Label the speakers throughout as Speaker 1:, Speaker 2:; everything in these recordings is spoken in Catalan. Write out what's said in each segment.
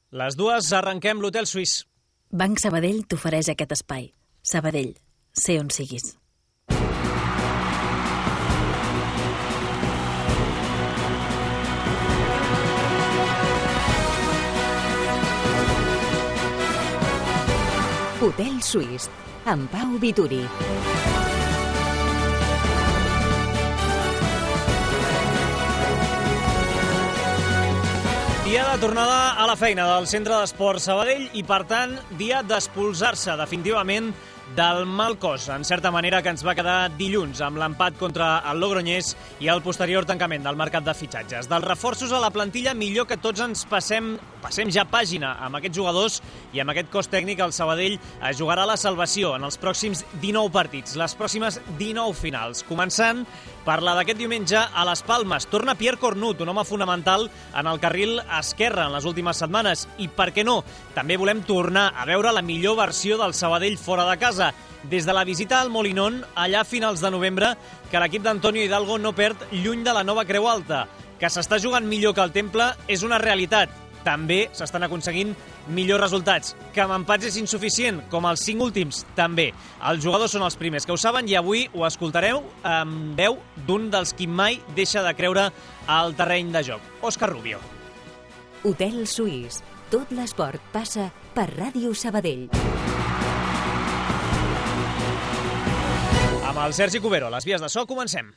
Speaker 1: Les dues arrenquem l'Hotel Suís.
Speaker 2: Banc Sabadell t'ofereix aquest espai. Sabadell, sé on siguis.
Speaker 3: Hotel Suís, amb Pau Vituri.
Speaker 1: Dia de tornada a la feina del Centre d'Esports Sabadell i, per tant, dia d'expulsar-se definitivament del mal cos, en certa manera, que ens va quedar dilluns amb l'empat contra el Logroñés i el posterior tancament del mercat de fitxatges. Dels reforços a la plantilla, millor que tots ens passem ja pàgina amb aquests jugadors i amb aquest cos tècnic. El Sabadell jugarà la salvació en els pròxims 19 partits, les pròximes 19 finals, començant per la d'aquest diumenge a les Palmes. Torna Pierre Cornut, un home fonamental en el carril esquerre en les últimes setmanes. I per què no? També volem tornar a veure la millor versió del Sabadell fora de casa. Des de la visita al Molinón, allà a finals de novembre, que l'equip d'Antonio Hidalgo no perd lluny de la nova Creu Alta. Que s'està jugant millor que el Temple és una realitat. També s'estan aconseguint millors resultats. Que amb empats és insuficient, com els 5 últims, també. Els jugadors són els primers que ho saben i avui ho escoltareu amb veu d'un dels qui mai deixa de creure al terreny de joc, Òscar Rubio.
Speaker 3: Hotel Suís. Tot l'esport passa per Ràdio Sabadell.
Speaker 1: Amb el Sergi Cubero, a les vies de so, comencem.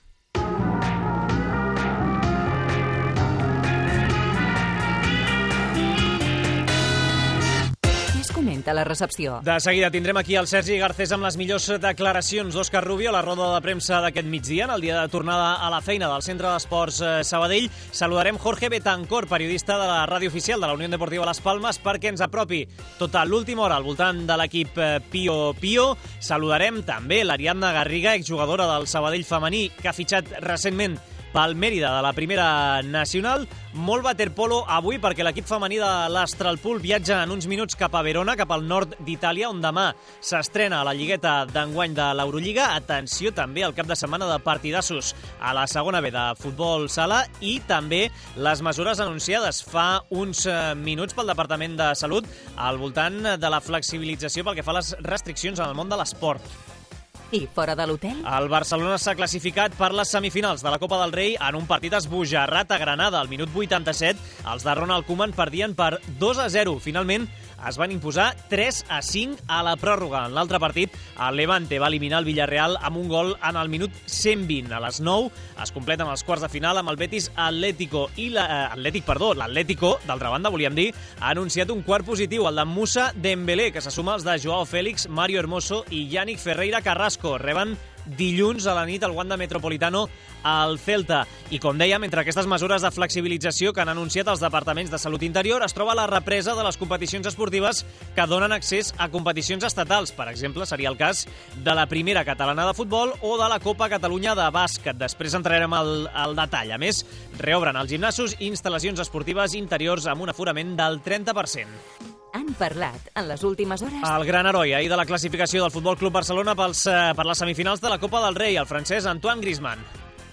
Speaker 3: Comenta la recepció.
Speaker 1: De seguida tindrem aquí el Sergi Garcés amb les millors declaracions d'Òscar Rubio a la roda de premsa d'aquest migdia, en el dia de tornada a la feina del Centre d'Esports Sabadell. Saludarem Jorge Betancor, periodista de la ràdio oficial de la Unió Deportiva Las Palmes, perquè ens apropi tota l'última hora al voltant de l'equip Pío Pío. Saludarem també l'Ariadna Garriga, exjugadora del Sabadell femení, que ha fitxat recentment pel Mèrida de la Primera Nacional. Molt waterpolo avui perquè l'equip femení de l'Astralpool viatja en uns minuts cap a Verona, cap al nord d'Itàlia, on demà s'estrena a la lligueta d'enguany de l'Eurolliga. Atenció també al cap de setmana de partidassos a la segona B de futbol sala i també les mesures anunciades fa uns minuts pel Departament de Salut al voltant de la flexibilització pel que fa a les restriccions en el món de l'esport.
Speaker 3: I fora de l'hotel?
Speaker 1: El Barcelona s'ha classificat per les semifinals de la Copa del Rei en un partit esbojarrat a Granada. Al minut 87, els de Ronald Koeman perdien per 2-0. Finalment, es van imposar 3-5 a la pròrroga. En l'altre partit, el Levante va eliminar el Villarreal amb un gol en el minut 120. A les 9 es completen els quarts de final amb el Betis Atlético i l'Atlético, d'altra banda, volíem dir, ha anunciat un quart positiu, el de Moussa Dembélé, que se suma als de Joao Félix, Mario Hermoso i Yannick Ferreira Carrasco. Reben dilluns a la nit al Wanda Metropolitano al Celta. I com dèiem, entre aquestes mesures de flexibilització que han anunciat els departaments de Salut Interior es troba la represa de les competicions esportives que donen accés a competicions estatals. Per exemple, seria el cas de la Primera Catalana de Futbol o de la Copa Catalunya de Bàsquet. Després entrarem al detall. A més, reobren els gimnasos i instal·lacions esportives interiors amb un aforament del 30%.
Speaker 3: Han parlat en les últimes hores
Speaker 1: el gran heroi ahir de la clasificació del Futbol Club Barcelona per les semifinals de la Copa del Rei, el francès Antoine Griezmann.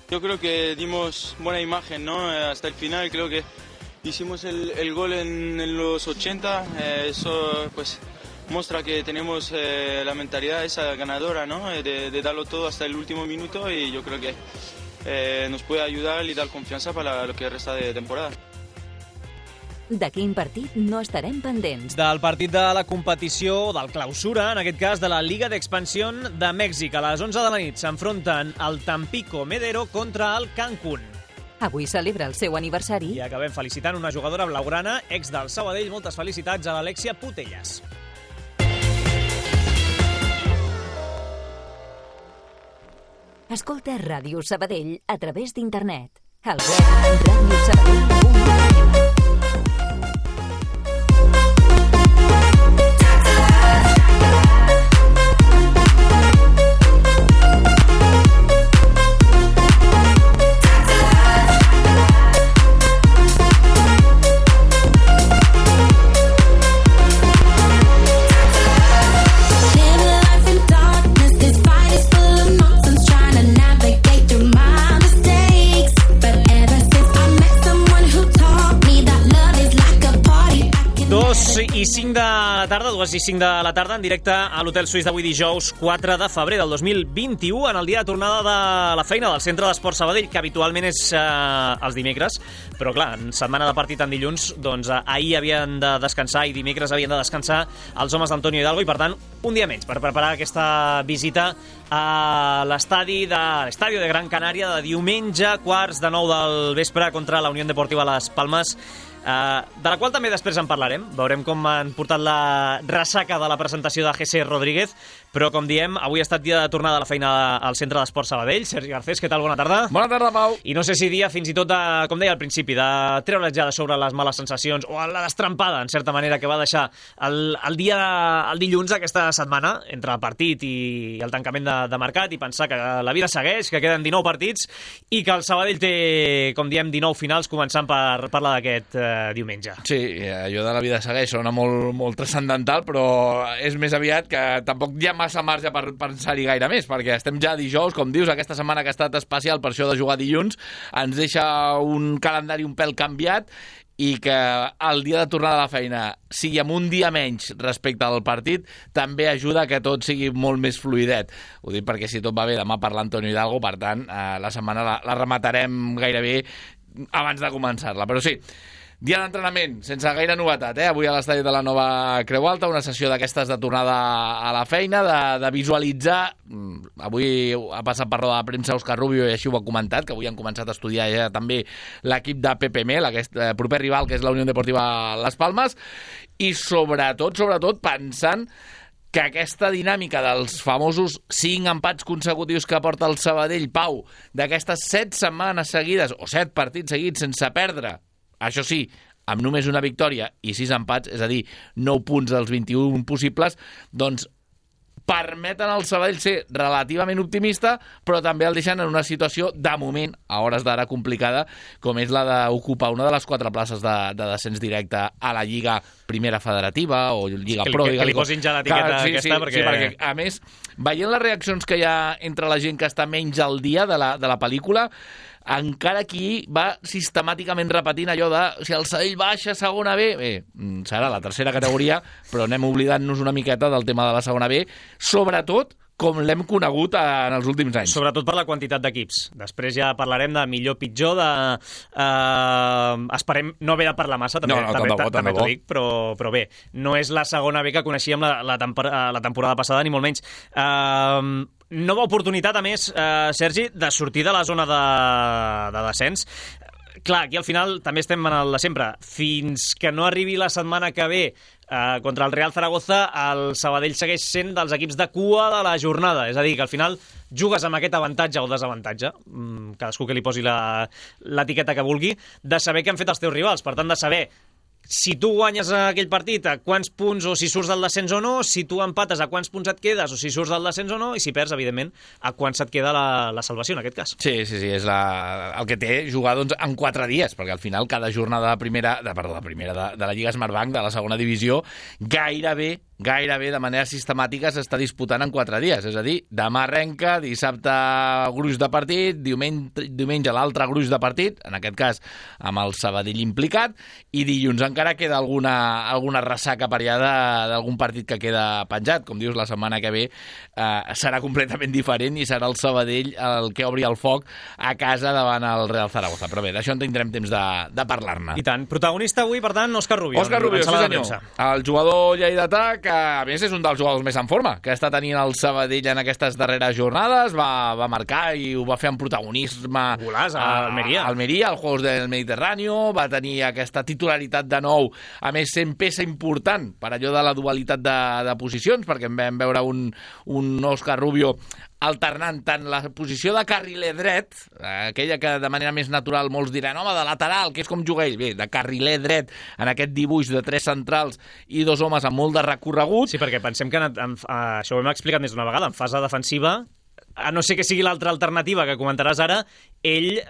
Speaker 4: Yo creo que dimos buena imagen, ¿no? Hasta el final. Creo que hicimos el gol en los 80. Eso pues muestra que tenemos la mentalidad esa ganadora, ¿no? De darlo todo hasta el último minuto, y yo creo que nos puede ayudar y dar confianza para lo que resta de temporada.
Speaker 3: De quin partit no estarem pendents?
Speaker 1: Del partit de la competició, del clausura, en aquest cas de la Liga d'Expansió de Mèxic. A les 11 de la nit s'enfronten el Tampico Medero contra el Cancún.
Speaker 3: Avui celebra el seu aniversari.
Speaker 1: I acabem felicitant una jugadora blaugrana, ex del Sabadell. Moltes felicitats a l'Alexia Putellas.
Speaker 3: Escolta Ràdio Sabadell a través d'internet. Al web radiosabadell.com.
Speaker 5: Trying to navigate through my mistakes, but ever since I met someone who
Speaker 1: 2:05 de la tarda, 2:05 de la tarda, en directe a l'Hotel Suís d'avui dijous 4 de febrer del 2021, en el dia de tornada de la feina del Centre d'Esport Sabadell, que habitualment és els dimecres, però clar, en setmana de partit en dilluns, doncs ahir havien de descansar i dimecres havien de descansar els homes d'Antonio Hidalgo, i per tant, un dia menys per preparar aquesta visita a l'estadi de Gran Canària de diumenge, 8:45 del vespre, contra la Unión Deportiva Las Palmas, de la qual també després en parlarem. Veurem com han portat la ressaca de la presentació de Jesse Rodríguez, però com diem, avui ha estat dia de tornada a la feina al Centre d'Esport Sabadell. Sergi Garcés, què tal? Bona tarda.
Speaker 5: Bona tarda, Pau.
Speaker 1: I no sé si dia fins i tot, com deia al principi, de treure's ja de sobre les males sensacions o la destrampada, en certa manera, que va deixar el dilluns aquesta setmana, entre el partit i el tancament de mercat, i pensar que la vida segueix, que queden 19 partits i que el Sabadell té, com diem, 19 finals, començant per parlar d'aquest diumenge.
Speaker 5: Sí, allò de la vida segueix sona molt transcendental, però és més aviat que tampoc hi ha massa marge per pensar-hi gaire més, perquè estem ja dijous, com dius, aquesta setmana que ha estat especial per això de jugar dilluns, ens deixa un calendari un pèl canviat, i que el dia de tornada a la feina sigui amb un dia menys respecte al partit també ajuda a que tot sigui molt més fluidet. Ho dic perquè si tot va bé demà per l'Antonio Hidalgo, per tant, la setmana la rematarem gairebé abans de començar-la. Però sí, dia d'entrenament, sense gaire novetat, avui a l'estadi de la Nova Creu Alta, una sessió d'aquestes de tornada a la feina, de visualitzar. Avui ha passat per roda de premsa Òscar Rubio i així ho ha comentat, que avui han començat a estudiar ja també l'equip de Pepe Mel, aquest proper rival que és la Unió Deportiva Las Palmas, i sobretot pensant que aquesta dinàmica dels famosos 5 empats consecutius que porta el Sabadell, Pau, d'aquestes 7 setmanes seguides, o 7 partits seguits sense perdre, això sí, amb només una victòria i 6 empats, és a dir, 9 punts dels 21 possibles, doncs permeten al Sabadell ser relativament optimista, però també el deixen en una situació, de moment, a hores d'ara complicada, com és la d'ocupar una de les 4 places de descens directe a la Lliga Primera Federativa o Lliga Pro.
Speaker 1: Que li posin ja l'etiqueta aquesta, perquè...
Speaker 5: Sí, perquè, a més, veient les reaccions que hi ha entre la gent que està menys al dia de la pel·lícula, encara aquí va sistemàticament repetint allò de si el Sabadell baixa a segona B, serà la tercera categoria, però anem oblidant-nos una miqueta del tema de la segona B, sobretot com l'hem conegut en els últims anys.
Speaker 1: Sobretot per la quantitat d'equips. Després ja parlarem de millor-pitjor, esperem no haver de parlar massa, també t'ho dic, però bé, no és la segona B que coneixíem la temporada passada, ni molt menys. Nova oportunitat, a més, Sergi, de sortir de la zona de descens. Clar, aquí al final també estem en el de sempre. Fins que no arribi la setmana que ve contra el Real Zaragoza, el Sabadell segueix sent dels equips de cua de la jornada. És a dir, que al final jugues amb aquest avantatge o desavantatge, cadascú que li posi l'etiqueta que vulgui, de saber què han fet els teus rivals. Per tant, de saber si tu guanyes aquell partit, a quants punts, o si surts del descens o no, si tu empates, a quants punts et quedes, o si surts del descens o no, i si perds, evidentment, a quants et queda la salvació, en aquest cas.
Speaker 5: Sí, és el que té jugar doncs, en 4 dies, perquè al final cada jornada de la Lliga Smartbank, de la segona divisió, gairebé de manera sistemàtica s'està disputant en 4 dies. És a dir, demà arrenca, dissabte gruix de partit, diumenge l'altre gruix de partit, en aquest cas amb el Sabadell implicat, i dilluns encara queda alguna ressaca per allà d'algun partit que queda penjat. Com dius, la setmana que ve serà completament diferent i serà el Sabadell el que obri el foc a casa davant el Real Zaragoza. Però bé, d'això en tindrem temps de parlar-ne.
Speaker 1: I tant. Protagonista avui, per tant, Òscar Rubio.
Speaker 5: Òscar Rubio, sí senyor. El jugador lleidatà, que a més és un dels jugadors més en forma que està tenint el Sabadell en aquestes darreres jornades, va marcar i ho va fer amb protagonisme.
Speaker 1: Golàs a Almeria.
Speaker 5: Als Juegos del Mediterráneo, va tenir aquesta titularitat de nou, a més sent peça important per allò de la dualitat de posicions, perquè en vam veure un Òscar Rubio alternant tant la posició de carriler dret, aquella que de manera més natural molts diran, home, de lateral, que és com juga ell, bé, de carriler dret, en aquest dibuix de 3 centrals i 2 homes amb molt de recorregut.
Speaker 1: Sí, perquè pensem que això ho hem explicat més d'una vegada, en fase defensiva, a no ser que sigui l'altra alternativa que comentaràs ara, ell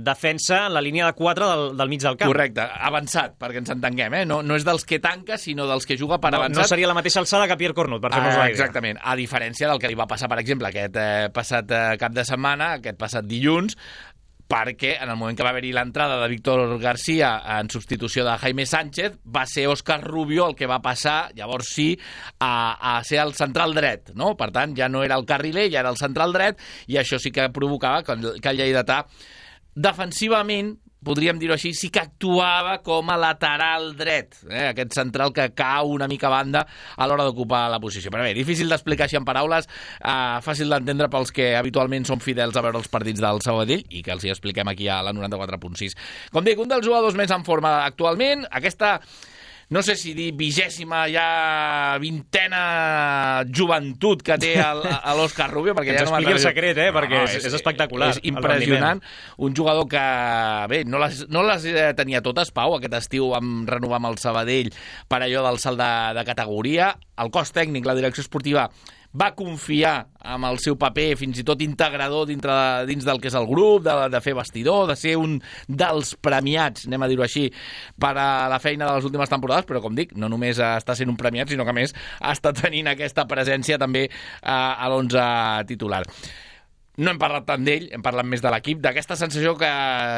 Speaker 1: defensa la línia de 4 del mig del camp.
Speaker 5: Correcte, avançat, perquè ens entenguem, No és dels que tanca, sinó dels que juga per avançat.
Speaker 1: No seria la mateixa alçada que Pierre Cornut, per fer-nos la idea.
Speaker 5: Exactament, a diferència del que li va passar, per exemple, aquest passat cap de setmana, aquest passat dilluns, perquè en el moment que va haver-hi l'entrada de Víctor García en substitució de Jaime Sánchez, va ser Òscar Rubio el que va passar, llavors sí, a ser el central dret, no? Per tant, ja no era el carriler, ja era el central dret, i això sí que provocava que el lleidatà, defensivament, podríem dir-ho així, sí que actuava com a lateral dret, aquest central que cau una mica a banda a l'hora d'ocupar la posició. Però bé, difícil d'explicar així en paraules, fàcil d'entendre pels que habitualment són fidels a veure els partits del Sabadell i que els hi expliquem aquí a la 94.6. Com dic, un dels jugadors més en forma actualment, aquesta... no sé si dir 20ª ja 20ª joventut que té l'Òscar Rubio, perquè
Speaker 1: ens
Speaker 5: ja no
Speaker 1: expliqui el secret, perquè és espectacular.
Speaker 5: És impressionant. Un jugador que, bé, no les tenia totes, Pau, aquest estiu vam renovar amb el Sabadell per allò del salt de categoria. El cos tècnic, la direcció esportiva, va confiar amb el seu paper fins i tot integrador dins del que és el grup, de fer vestidor, de ser un dels premiats, anem a dir-ho així, per a la feina de les últimes temporades, però com dic, no només està sent un premiat, sinó que a més està tenint aquesta presència també a l'11 titular. No hem parlat tant d'ell, hem parlat més de l'equip, d'aquesta sensació que,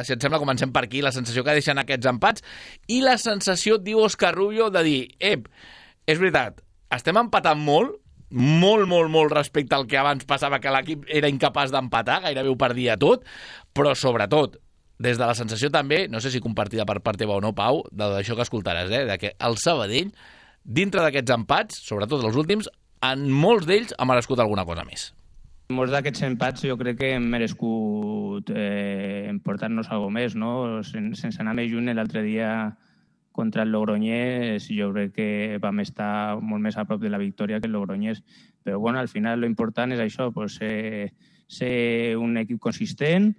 Speaker 5: si et sembla, comencem per aquí, la sensació que deixen aquests empats, i la sensació, diu Òscar Rubio, de dir, és veritat, estem empatant molt respecte al que abans passava, que l'equip era incapaç d'empatar, gairebé ho perdia tot, però sobretot, des de la sensació també, no sé si compartida per part teva o no, Pau, d'això que escoltaràs, de que el Sabadell, dintre d'aquests empats, sobretot els últims, en molts d'ells ha merescut alguna cosa més.
Speaker 6: Molts d'aquests empats jo crec que hem merescut emportar-nos alguna més, no? Sense anar més lluny, l'altre dia contra el Logroñés jo crec que vam estar molt més a prop de la victòria que el Logroñés. Però bueno, al final lo important és això, pues, ser un equip consistent,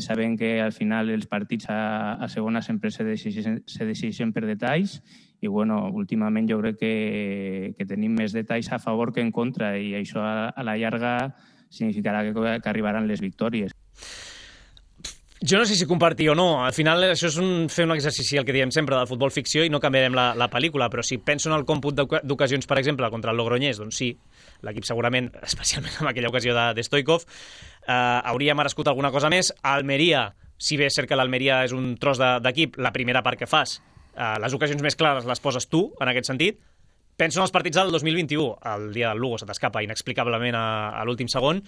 Speaker 6: sabent que al final els partits a segona sempre se decideixen per detalls i bueno, últimament jo crec que tenim més detalls a favor que en contra i això a la llarga significarà que arribaran les victòries.
Speaker 1: Jo no sé si compartir o no. Al final això és fer un exercici, el que diem sempre, del futbol ficció i no canviarem la pel·lícula, però si penso en el còmput d'ocasions, per exemple, contra el Logroñés, doncs sí, l'equip segurament, especialment en aquella ocasió de Stoichkov, hauria merescut alguna cosa més. Almeria, si bé és cert que l'Almeria és un tros d'equip, la primera part que fas, les ocasions més clares les poses tu, en aquest sentit. Penso en els partits del 2021, el dia del Lugo se t'escapa inexplicablement a l'últim segon,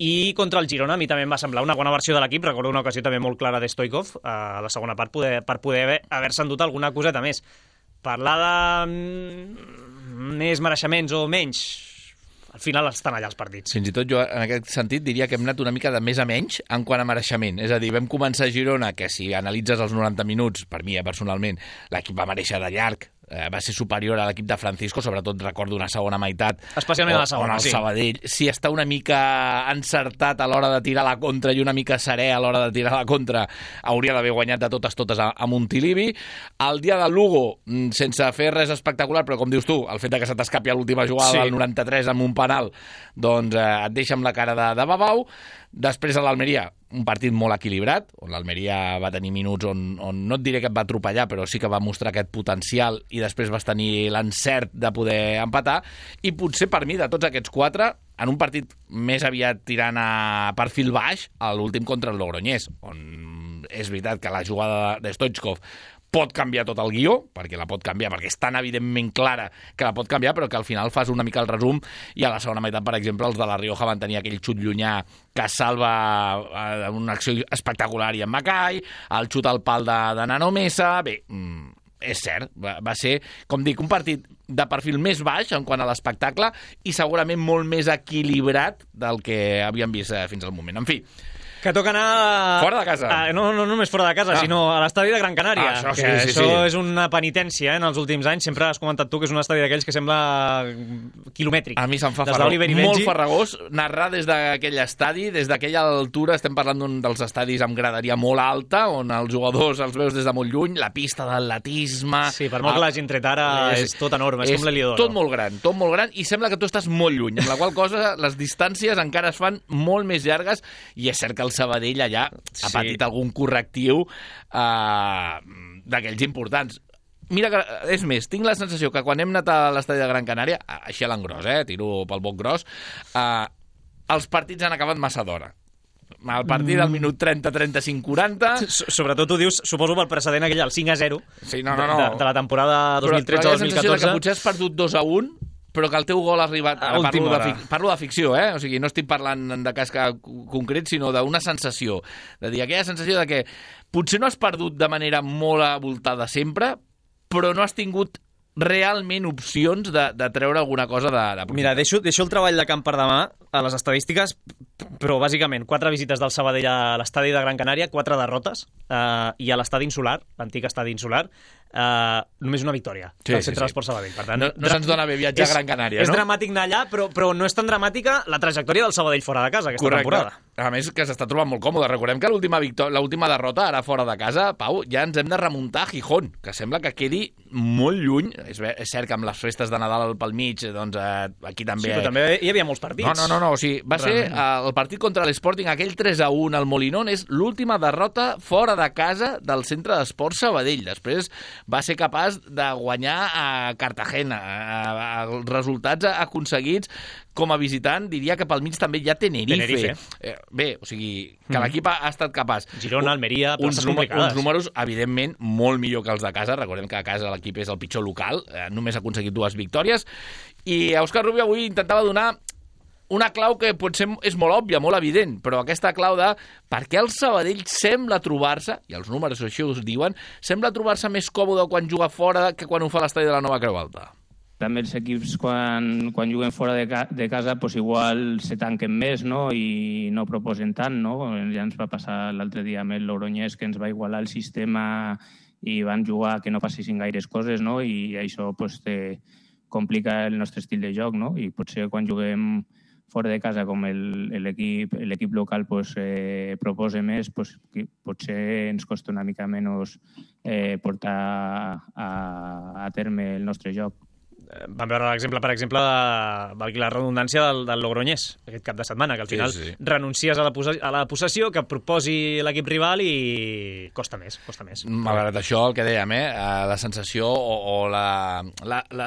Speaker 1: i contra el Girona a mi també em va semblar una bona versió de l'equip. Recordo una ocasió també molt clara de Stoichkov a la segona part per poder haver-se endut alguna coseta més. Parlar de més mereixements o menys, al final estan allà els partits.
Speaker 5: Fins i tot jo en aquest sentit diria que hem anat una mica de més a menys en quant a mereixement. És a dir, vam començar a Girona, que si analitzes els 90 minuts, per mi personalment, l'equip va mereixer de llarg, va ser superior a l'equip de Francisco, sobretot recordo una segona meitat.
Speaker 1: Especialment a la segona,
Speaker 5: sí. Sabadell, si està una mica encertat a l'hora de tirar la contra i una mica serè a l'hora de tirar la contra, hauria d'haver guanyat de totes a Montilivi. El dia del Lugo, sense fer res espectacular, però com dius tu, el fet que se t'escapi a l'última jugada del 93 amb un penal, doncs et deixa amb la cara de babau. Després a l'Almeria, un partit molt equilibrat, on l'Almeria va tenir minuts on no et diré que et va atropellar, però sí que va mostrar aquest potencial i després vas tenir l'encert de poder empatar. I potser per mi, de tots aquests quatre, en un partit més aviat tirant a perfil baix, a l'últim contra el Logroñés, on és veritat que la jugada de Stoichkov pot canviar tot el guió, perquè la pot canviar, perquè és tan evidentment clara que la pot canviar, però que al final fas una mica el resum i a la segona meitat, per exemple, els de la Rioja van tenir aquell xut llunyà que salva una acció espectacular i en Macai, el xut al pal de Nano Mesa. Bé, és cert, va ser, com dic, un partit de perfil més baix en quant a l'espectacle i segurament molt més equilibrat del que havíem vist fins al moment. En fi,
Speaker 1: que toca anar...
Speaker 5: Fora de casa.
Speaker 1: No només fora de casa, sinó a l'estadi de Gran Canària.
Speaker 5: Això sí,
Speaker 1: això és una penitència en els últims anys. Sempre has comentat tu que és un estadi d'aquells que sembla quilomètric.
Speaker 5: A mi se'm fa molt farragós narrar des d'aquell estadi, des d'aquella altura. Estem parlant d'un dels estadis amb graderia molt alta, on els jugadors els veus des de molt lluny, la pista d'atletisme...
Speaker 1: Sí, per molt que l'hagin tret ara, és tot enorme, és com l'Heliodoro.
Speaker 5: Tot molt gran, i sembla que tu estàs molt lluny, amb la qual cosa les distàncies encara es fan molt més llargues, i és cert que el Sabadell allà ha patit algun correctiu d'aquells importants. Mira, que, és més, tinc la sensació que quan hem anat a l'estadi de Gran Canària, així a l'engròs, tiro pel boc gros, els partits han acabat massa d'hora. el partit al minut 30, 35, 40...
Speaker 1: Sobretot ho dius, suposo, pel precedent aquell, el 5-0
Speaker 5: sí, no.
Speaker 1: de la temporada 2013-2014.
Speaker 5: Però hi ha la sensació que potser has perdut 2-1, però que el teu gol ha arribat... Parlo de ficció, O sigui, no estic parlant de cas concret, sinó d'una sensació. De dir, aquella sensació de que potser no has perdut de manera molt avoltada sempre, però no has tingut realment opcions de treure alguna cosa de...
Speaker 1: Mira, deixo el treball de camp per demà a les estadístiques, però bàsicament 4 visites del Sabadell a l'estadi de Gran Canària, 4 derrotes, i a l'estadi insular, l'antic estadi insular, només una victòria del Centre d'Esports Sabadell. Per tant,
Speaker 5: no se'ns dona bé viatjar a Gran Canària, no?
Speaker 1: És dramàtic anar allà, però no és tan dramàtica la trajectòria del Sabadell fora de casa aquesta temporada.
Speaker 5: A més, que s'està trobant molt còmode. Recordem que l'última derrota, ara fora de casa, Pau, ja ens hem de remuntar a Gijón, que sembla que quedi molt lluny. És cert que amb les festes de Nadal pel mig, doncs aquí també...
Speaker 1: Sí, però també hi havia molts partits.
Speaker 5: No, o sigui, va ser el partit contra l'Sporting, aquell 3-1 al Molinón, és l'última derrota fora de casa del Centre d'Esports Sabadell. Després va ser capaç de guanyar a Cartagena. Els resultats aconseguits com a visitant, diria que pel mig també hi ha Tenerife. Bé, o sigui, que l'equip ha estat capaç.
Speaker 1: Girona, Almeria, places complicades.
Speaker 5: Uns números, evidentment, molt millor que els de casa. Recordem que a casa l'equip és el pitjor local. Només ha aconseguit 2 victòries. I Òscar Rubio avui intentava donar una clau que potser és molt òbvia, molt evident, però aquesta clau de per què el Sabadell sembla trobar-se, i els números això us diuen, sembla trobar-se més còmode quan juga fora que quan ho fa l'estadi de la Nova Creu Alta.
Speaker 6: També els equips, quan juguen fora de casa, pues igual se tanquen més, no? I no proposen tant, no? Ja ens va passar l'altre dia amb el Logroñés, que ens va igualar el sistema i van jugar que no passessin gaires coses, no? I això pues, complica el nostre estil de joc, no? I potser quan juguem fora de casa, com l'equip local pues, proposa més, pues, potser ens costa una mica menys portar a terme el nostre joc.
Speaker 1: Vam veure l'exemple, per exemple, valgui la redundància del Logroñés, aquest cap de setmana, que al final renuncies a la possessió, que proposi l'equip rival i costa més.
Speaker 5: Malgrat això, el que dèiem, la sensació o la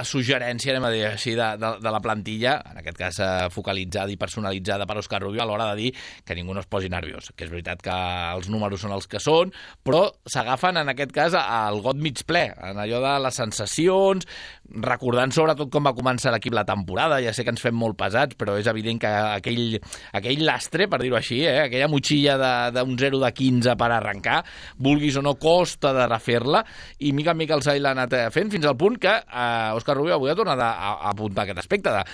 Speaker 5: suggerència, anem a dir així, de la plantilla, en aquest cas focalitzada i personalitzada per Òscar Rubio, a l'hora de dir que ningú no es posi nerviós, que és veritat que els números són els que són, però s'agafen, en aquest cas, al got mig ple, en allò de les sensacions, recordant sobretot com va començar l'equip la temporada. Ja sé que ens fem molt pesats, però és evident que aquell lastre, per dir-ho així, aquella motxilla d'un 0 de 15 per arrencar, vulguis o no, costa de refer-la, i mica en mica el Sabadell l'ha anat fent, fins al punt que Òscar Rubio avui ha tornat a apuntar aquest aspecte de...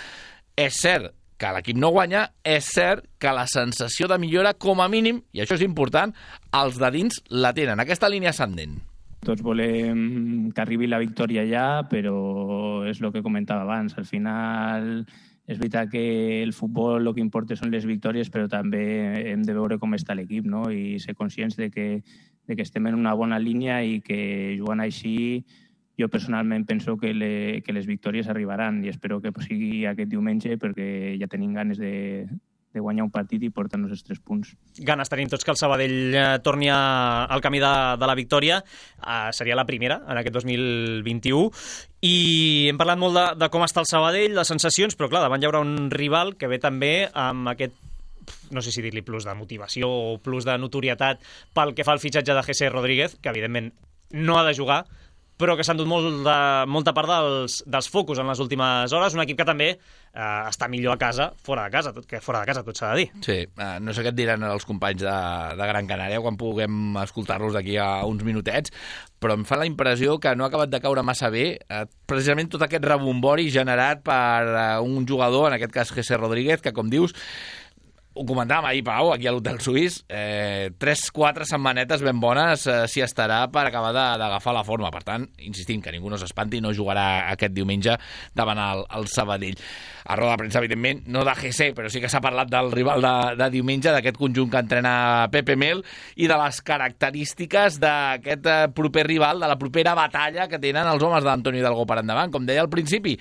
Speaker 5: És cert que l'equip no guanya, és cert que la sensació de millora, com a mínim, i això és important, els de dins la tenen, aquesta línia ascendent.
Speaker 6: Tots volem que arribi la victòria ja, però és el que comentava abans. Al final és veritat que el futbol el que importa són les victòries, però també hem de veure com està l'equip, no? I ser conscients de que estem en una bona línia i que jugant així jo personalment penso que les victòries arribaran i espero que sigui aquest diumenge perquè ja tenim ganes de guanyar un partit i portar-nos els 3 punts.
Speaker 1: Ganes tenim tots que el Sabadell torni al camí de la victòria. Seria la primera en aquest 2021. I hem parlat molt de com està el Sabadell, de sensacions, però clar, davant hi haurà un rival que ve també amb aquest, no sé si dir-li plus de motivació o plus de notorietat pel que fa al fitxatge de Jesse Rodríguez, que evidentment no ha de jugar, però que s'han dut molta part dels focus en les últimes hores. Un equip que també està millor a casa, fora de casa, tot s'ha de dir.
Speaker 5: Sí, no sé què et diran els companys de Gran Canària quan puguem escoltar-los d'aquí a uns minutets, però em fa la impressió que no ha acabat de caure massa bé precisament tot aquest rebombori generat per un jugador, en aquest cas Jesse Rodríguez, que com dius, ho comentàvem ahir, Pau, aquí a l'Hotel Suís, 3-4 setmanetes ben bones s'hi estarà per acabar d'agafar la forma. Per tant, insistim, que ningú no s'espanti, no jugarà aquest diumenge davant el Sabadell. A roda de premsa, evidentment, no de GC, però sí que s'ha parlat del rival de diumenge, d'aquest conjunt que entrena Pepe Mel i de les característiques d'aquest proper rival, de la propera batalla que tenen els homes d'Antonio Hidalgo per endavant. Com deia al principi,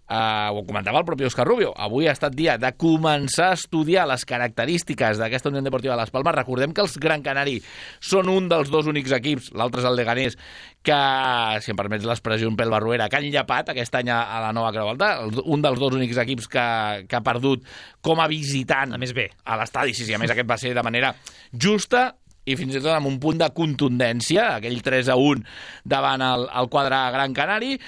Speaker 5: ho comentava el propi Òscar Rubio, avui ha estat dia de començar a estudiar les característiques d'aquesta Unió Deportiva Las Palmas. Recordem que els Gran Canari són un dels dos únics equips, l'altre és el Leganés, que, si em permets l'expressió un pèl barruera, que han llapat aquest any a la nova Creu Alta, un dels dos únics equips que ha perdut com a visitant
Speaker 1: a més bé
Speaker 5: a l'estadi. Sí, a més aquest va ser de manera justa i fins i tot amb un punt de contundència, aquell 3-1 davant el quadre Gran Canari,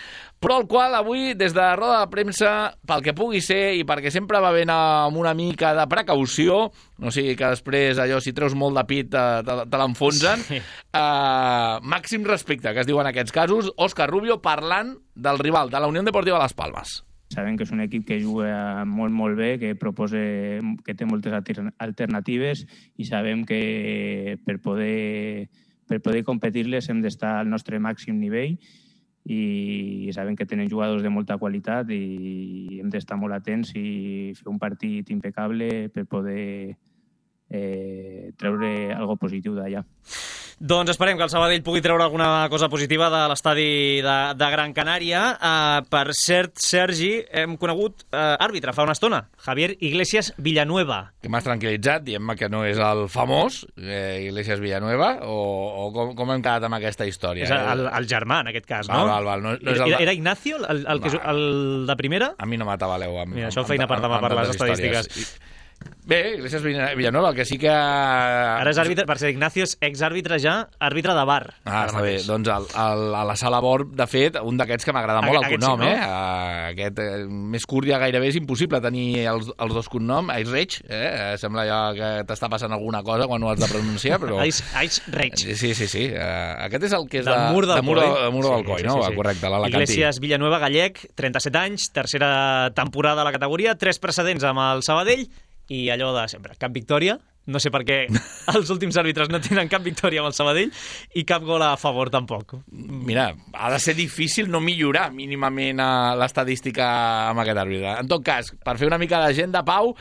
Speaker 5: però el qual avui, des de roda de premsa, pel que pugui ser i perquè sempre va ben amb una mica de precaució, no sigui que després allò, si treus molt de pit, te l'enfonsen, sí. Màxim respecte, que es diu en aquests casos, Òscar Rubio parlant del rival, de la Unió Deportiva Las Palmas.
Speaker 6: Sabem que és un equip que juga molt, molt bé, que té moltes alternatives i sabem que per poder competir-les hem d'estar al nostre màxim nivell i sabem que tenen jugadors de molta qualitat i hem d'estar molt atents i fer un partit impecable per poder treure algo positiu d'allà.
Speaker 1: Doncs esperem que el Sabadell pugui treure alguna cosa positiva de l'estadi de Gran Canària. Per cert, Sergi, hem conegut àrbitre fa una estona, Javier Iglesias Villanueva.
Speaker 5: Que m'has tranquil·litzat, diem-me que no és el famós Iglesias Villanueva, o com hem quedat amb aquesta història?
Speaker 1: És el germà, en aquest cas, no?
Speaker 5: Val. No és
Speaker 1: era Ignacio, el de primera?
Speaker 5: A mi no m'atabaleu.
Speaker 1: Mira, això feina per demà per les estadístiques.
Speaker 5: Bé, Iglesias Villanueva, el que sí que...
Speaker 1: Ara és àrbitre, per ser Ignacio és exàrbitre ja, àrbitre de bar.
Speaker 5: Està bé. Doncs a la sala Bor, de fet, un d'aquests que m'agrada molt, el cognom, sí, no? Aquest més curt ja gairebé és impossible tenir els dos cognoms. Aisreig, sembla ja que t'està passant alguna cosa quan ho has de pronunciar, però...
Speaker 1: Aisreig.
Speaker 5: Sí. Aquest és el que és
Speaker 1: del Mur del
Speaker 5: Coll, no? Correcte, l'Alacantí.
Speaker 1: Iglesias Villanueva, gallec, 37 anys, tercera temporada a la categoria, 3 precedents amb el Sabadell, i allò de sempre, cap victòria, no sé per què els últims àrbitres no tenen cap victòria amb el Sabadell i cap gol a favor tampoc.
Speaker 5: Mira, ha de ser difícil no millorar mínimament l'estadística amb aquest àrbitre. En tot cas, per fer una mica de gent de pau,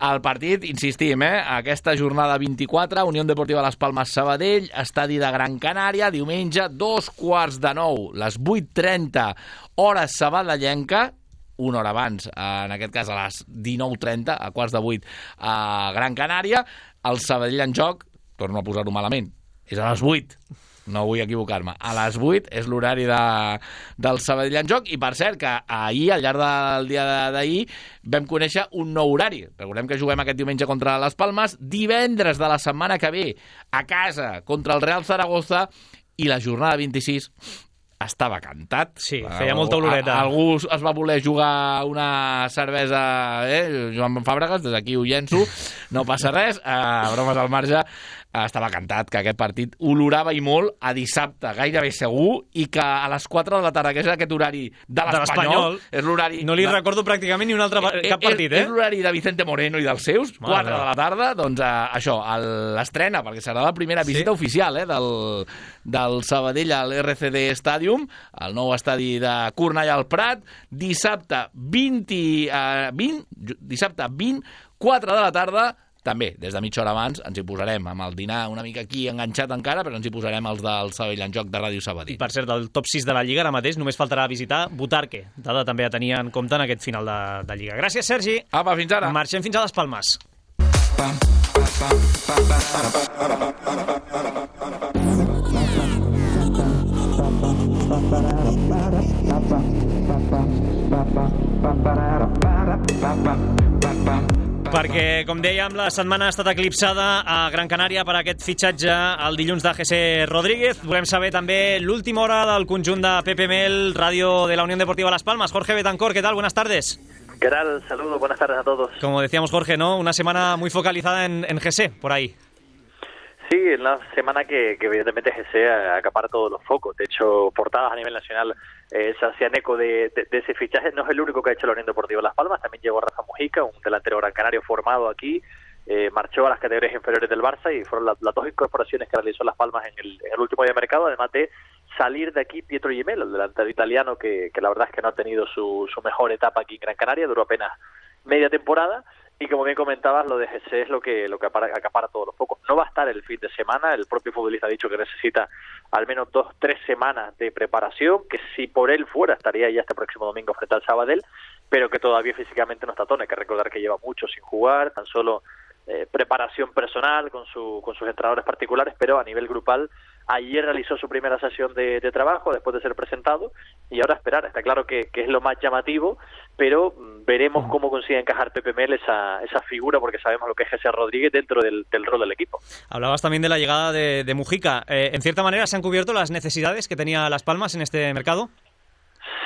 Speaker 5: el partit, insistim, aquesta jornada 24, Unió Deportiva Las Palmas Sabadell, estadi de Gran Canària, diumenge, 8:45, les 8:30, hora sabadellenca, una hora abans, en aquest cas a les 19:30, a 19:45 a Gran Canària. El Sabadell en joc, torno a posar-ho malament, és a les 8, no vull equivocar-me, a les 8 és l'horari del Sabadell en joc, i per cert que ahir, al llarg del dia d'ahir, vam conèixer un nou horari. Recordem que juguem aquest diumenge contra les Palmes, divendres de la setmana que ve a casa contra el Real Zaragoza, i la jornada 26 estava cantat.
Speaker 1: Sí, feia molta oloreta.
Speaker 5: Algú es va voler jugar una cervesa, Joan Fàbregas, des d'aquí ho llenço, no passa res, bromes al marge, estava cantat que aquest partit olorava i molt a dissabte, gairebé segur, i que a les 4 de la tarda, que és aquest horari de l'Espanyol, és l'horari...
Speaker 1: No li recordo pràcticament ni un altre cap partit,
Speaker 5: És l'horari de Vicente Moreno i dels seus, 4 de la tarda, doncs això, l'estrena, perquè serà la primera visita oficial del Sabadell a l'RCD Stadium, el nou estadi de Cornellà al Prat, dissabte 20, 4 de la tarda. També, des de mitja hora abans, ens hi posarem amb el dinar una mica aquí enganxat encara, però ens hi posarem els del Sabadell en joc de Ràdio Sabadell.
Speaker 1: I per cert, del top 6 de la Lliga ara mateix només faltarà visitar Butarque, dada també a tenir en compte en aquest final de Lliga. Gràcies, Sergi.
Speaker 5: Apa, fins ara.
Speaker 1: Marxem fins a les Palmes. Perquè, com dèiem, la setmana ha estat eclipsada a Gran Canària per aquest fitxatge el dilluns de José Rodríguez. Volem saber també l'última hora del conjunt de Pepe Mel, ràdio de la Unión Deportiva Las Palmas. Jorge Betancor, ¿qué tal? Buenas tardes.
Speaker 7: ¿Qué tal? Saludos, buenas tardes a todos.
Speaker 1: Como decíamos, Jorge, ¿no? Una semana muy focalizada en José, por ahí.
Speaker 7: Sí, una semana que evidentemente José acapara todos los focos. De hecho, portadas a nivel nacional se hacían eco de ese fichaje. No es el único que ha hecho la Unión Deportiva Las Palmas. También llegó Rafa Mujica, un delantero gran canario formado aquí. Marchó a las categorías inferiores del Barça y fueron las dos incorporaciones que realizó Las Palmas en el último día de mercado, además de salir de aquí Pietro Gemello, el delantero italiano que la verdad es que no ha tenido su mejor etapa aquí en Gran Canaria, duró apenas media temporada, Y como bien comentabas, lo de Jesse es lo que acapara todos los focos. No va a estar el fin de semana, el propio futbolista ha dicho que necesita al menos 2-3 semanas de preparación, que si por él fuera estaría ya este próximo domingo frente al Sabadell, pero que todavía físicamente no está tono. Hay que recordar que lleva mucho sin jugar, tan solo preparación personal con sus entrenadores particulares, pero a nivel grupal ayer realizó su primera sesión de trabajo después de ser presentado y ahora esperar. Está claro que es lo más llamativo, pero veremos cómo consigue encajar Pepe Mel esa figura, porque sabemos lo que es Jesse Rodríguez dentro del rol del equipo.
Speaker 1: Hablabas también de la llegada de Mujica. En cierta manera, ¿se han cubierto las necesidades que tenía Las Palmas en este mercado?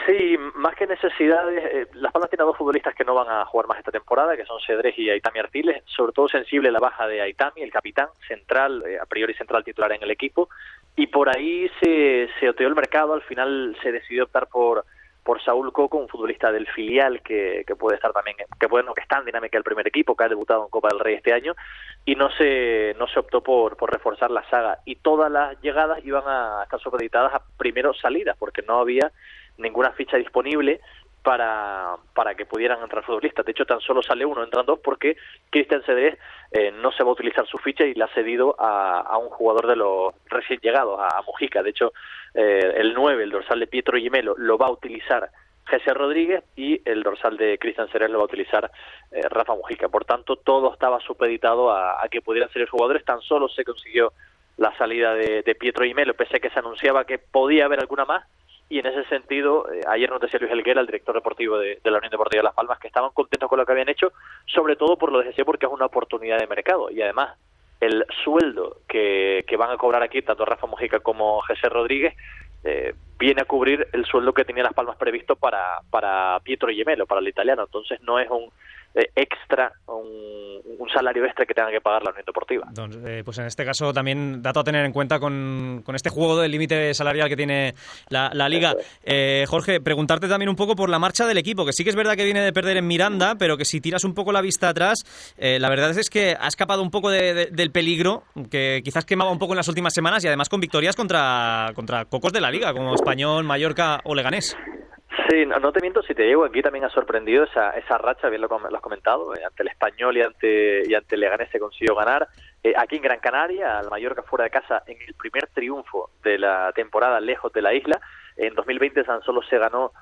Speaker 7: Sí, más que necesidades, Las Palmas tiene 2 futbolistas que no van a jugar más esta temporada, que son Cedrés y Aitami Artiles, sobre todo sensible la baja de Aitami, el capitán central, a priori central titular en el equipo, y por ahí se oteó el mercado. Al final se decidió optar por Saúl Coco, un futbolista del filial que puede estar también, que está en dinámica del primer equipo, que ha debutado en Copa del Rey este año, y no se optó por reforzar la saga, y todas las llegadas iban a estar supeditadas a primero salidas, porque no había ninguna ficha disponible para que pudieran entrar futbolistas. De hecho, tan solo sale uno, entran 2, porque Cristian Cedrés no se va a utilizar su ficha y la ha cedido a un jugador de los recién llegados, a Mujica. De hecho, el 9, el dorsal de Pietro Gimelo, lo va a utilizar Jesse Rodríguez, y el dorsal de Cristian Cedrés lo va a utilizar Rafa Mujica. Por tanto, todo estaba supeditado a que pudieran ser los jugadores. Tan solo se consiguió la salida de Pietro Gimelo, pese a que se anunciaba que podía haber alguna más. Y en ese sentido, ayer nos decía Luis Helguera, el director deportivo de la Unión Deportiva de Las Palmas, que estaban contentos con lo que habían hecho, sobre todo por lo de Jesse, porque es una oportunidad de mercado. Y además, el sueldo que van a cobrar aquí, tanto Rafa Mujica como Jesse Rodríguez, viene a cubrir el sueldo que tenía Las Palmas previsto para Pietro Gimelo, para el italiano. Entonces no es un extra, un salario extra que tenga que pagar la Unión Deportiva.
Speaker 1: Entonces, pues en este caso también dato a tener en cuenta con este juego del límite salarial que tiene la Liga. Jorge, preguntarte también un poco por la marcha del equipo, que sí que es verdad que viene de perder en Miranda, pero que si tiras un poco la vista atrás, la verdad es que ha escapado un poco del peligro que quizás quemaba un poco en las últimas semanas, y además con victorias contra cocos de la Liga, como Español, Mallorca o Leganés.
Speaker 7: Sí, no te miento, si te digo, aquí también ha sorprendido esa racha, bien lo has comentado, ante el Español y ante el Leganés se consiguió ganar. Aquí en Gran Canaria, al Mallorca fuera de casa, en el primer triunfo de la temporada lejos de la isla. En 2020 tan solo se ganó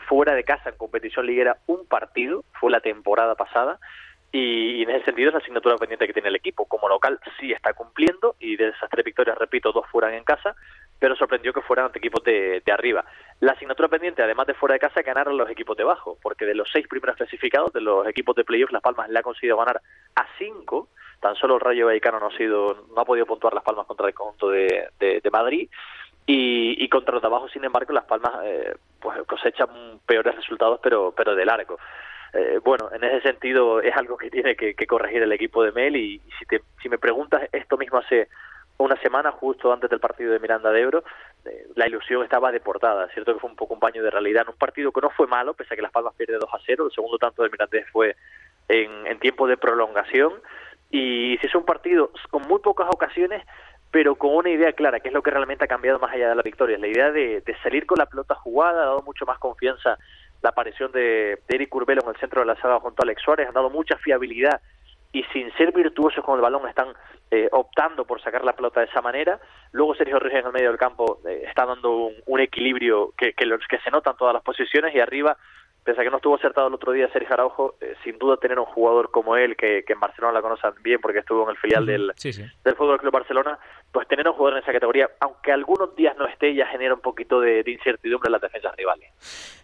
Speaker 7: fuera de casa en competición liguera un partido, fue la temporada pasada. Y en ese sentido es la asignatura pendiente que tiene el equipo. Como local sí está cumpliendo, y de esas 3 victorias, repito, 2 fueran en casa, pero sorprendió que fueran ante equipos de arriba. La asignatura pendiente, además de fuera de casa, ganaron los equipos de abajo, porque de los 6 primeros clasificados, de los equipos de playoff, Las Palmas le ha conseguido ganar a 5. Tan solo el Rayo Vallecano no ha podido puntuar Las Palmas contra el conjunto de Madrid. Y contra los de abajo, sin embargo, Las Palmas pues cosechan peores resultados, pero de largo. Bueno, en ese sentido es algo que tiene que corregir el equipo de Mel, y si me preguntas, esto mismo hace una semana, justo antes del partido de Miranda de Ebro, la ilusión estaba deportada. Es cierto que fue un poco un baño de realidad en un partido que no fue malo, pese a que Las Palmas pierde 2-0, el segundo tanto del Mirandés fue en tiempo de prolongación, y se hizo un partido con muy pocas ocasiones, pero con una idea clara, que es lo que realmente ha cambiado más allá de la victoria. La idea de salir con la pelota jugada ha dado mucho más confianza. La aparición de Eric Curbelo en el centro de la saga junto a Alex Suárez ha dado mucha fiabilidad, y sin ser virtuosos con el balón están optando por sacar la pelota de esa manera. Luego Sergio Ruiz en el medio del campo está dando un equilibrio que se nota en todas las posiciones, y arriba, pese a que no estuvo acertado el otro día Sergio Araujo, sin duda tener un jugador como él, que en Barcelona la conocen bien porque estuvo en el filial del Fútbol Club Barcelona, pues tener un jugador en esa categoría, aunque algunos días no esté, ya genera un poquito de incertidumbre en las defensas rivales.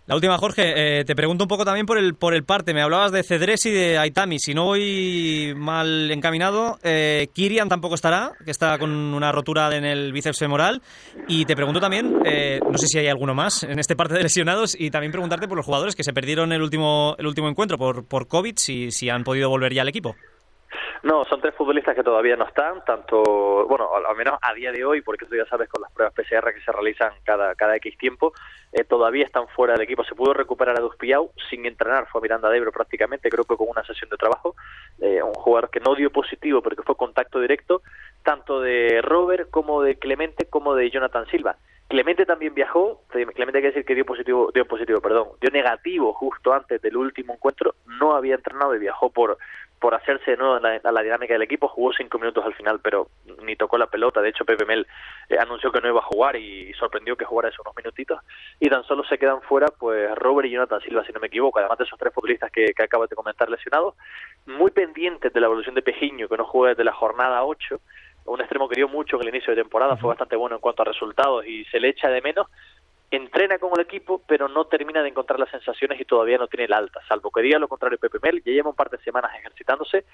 Speaker 1: La última, Jorge, te pregunto un poco también por el parte. Me hablabas de Cedrés y de Aitami. Si no voy mal encaminado, Kirian tampoco estará, que está con una rotura en el bíceps femoral. Y te pregunto también, no sé si hay alguno más en este parte de lesionados, y también preguntarte por los jugadores que se perdieron el último encuentro por COVID, si han podido volver ya al equipo.
Speaker 7: No, son 3 futbolistas que todavía no están, al menos a día de hoy, porque tú ya sabes, con las pruebas PCR que se realizan cada X tiempo, todavía están fuera del equipo. Se pudo recuperar a Duspiau sin entrenar, fue a Miranda de Ebro prácticamente, creo que con una sesión de trabajo, un jugador que no dio positivo, pero que fue contacto directo, tanto de Robert como de Clemente como de Jonathan Silva. Clemente también viajó, Clemente hay que decir que dio negativo justo antes del último encuentro, no había entrenado y viajó por por hacerse de nuevo a la dinámica del equipo. Jugó 5 minutos al final, pero ni tocó la pelota. De hecho, Pepe Mel anunció que no iba a jugar y sorprendió que jugara esos unos minutitos. Y tan solo se quedan fuera pues Robert y Jonathan Silva, si no me equivoco, además de esos 3 futbolistas que acabo de comentar lesionados. Muy pendientes de la evolución de Pejiño, que no juega desde la jornada 8, un extremo que dio mucho en el inicio de temporada, fue bastante bueno en cuanto a resultados y se le echa de menos. Entrena con el equipo, pero no termina de encontrar las sensaciones y todavía no tiene el alta, salvo que diga lo contrario Pepe Mel. Ya lleva un par de semanas ejercitándose,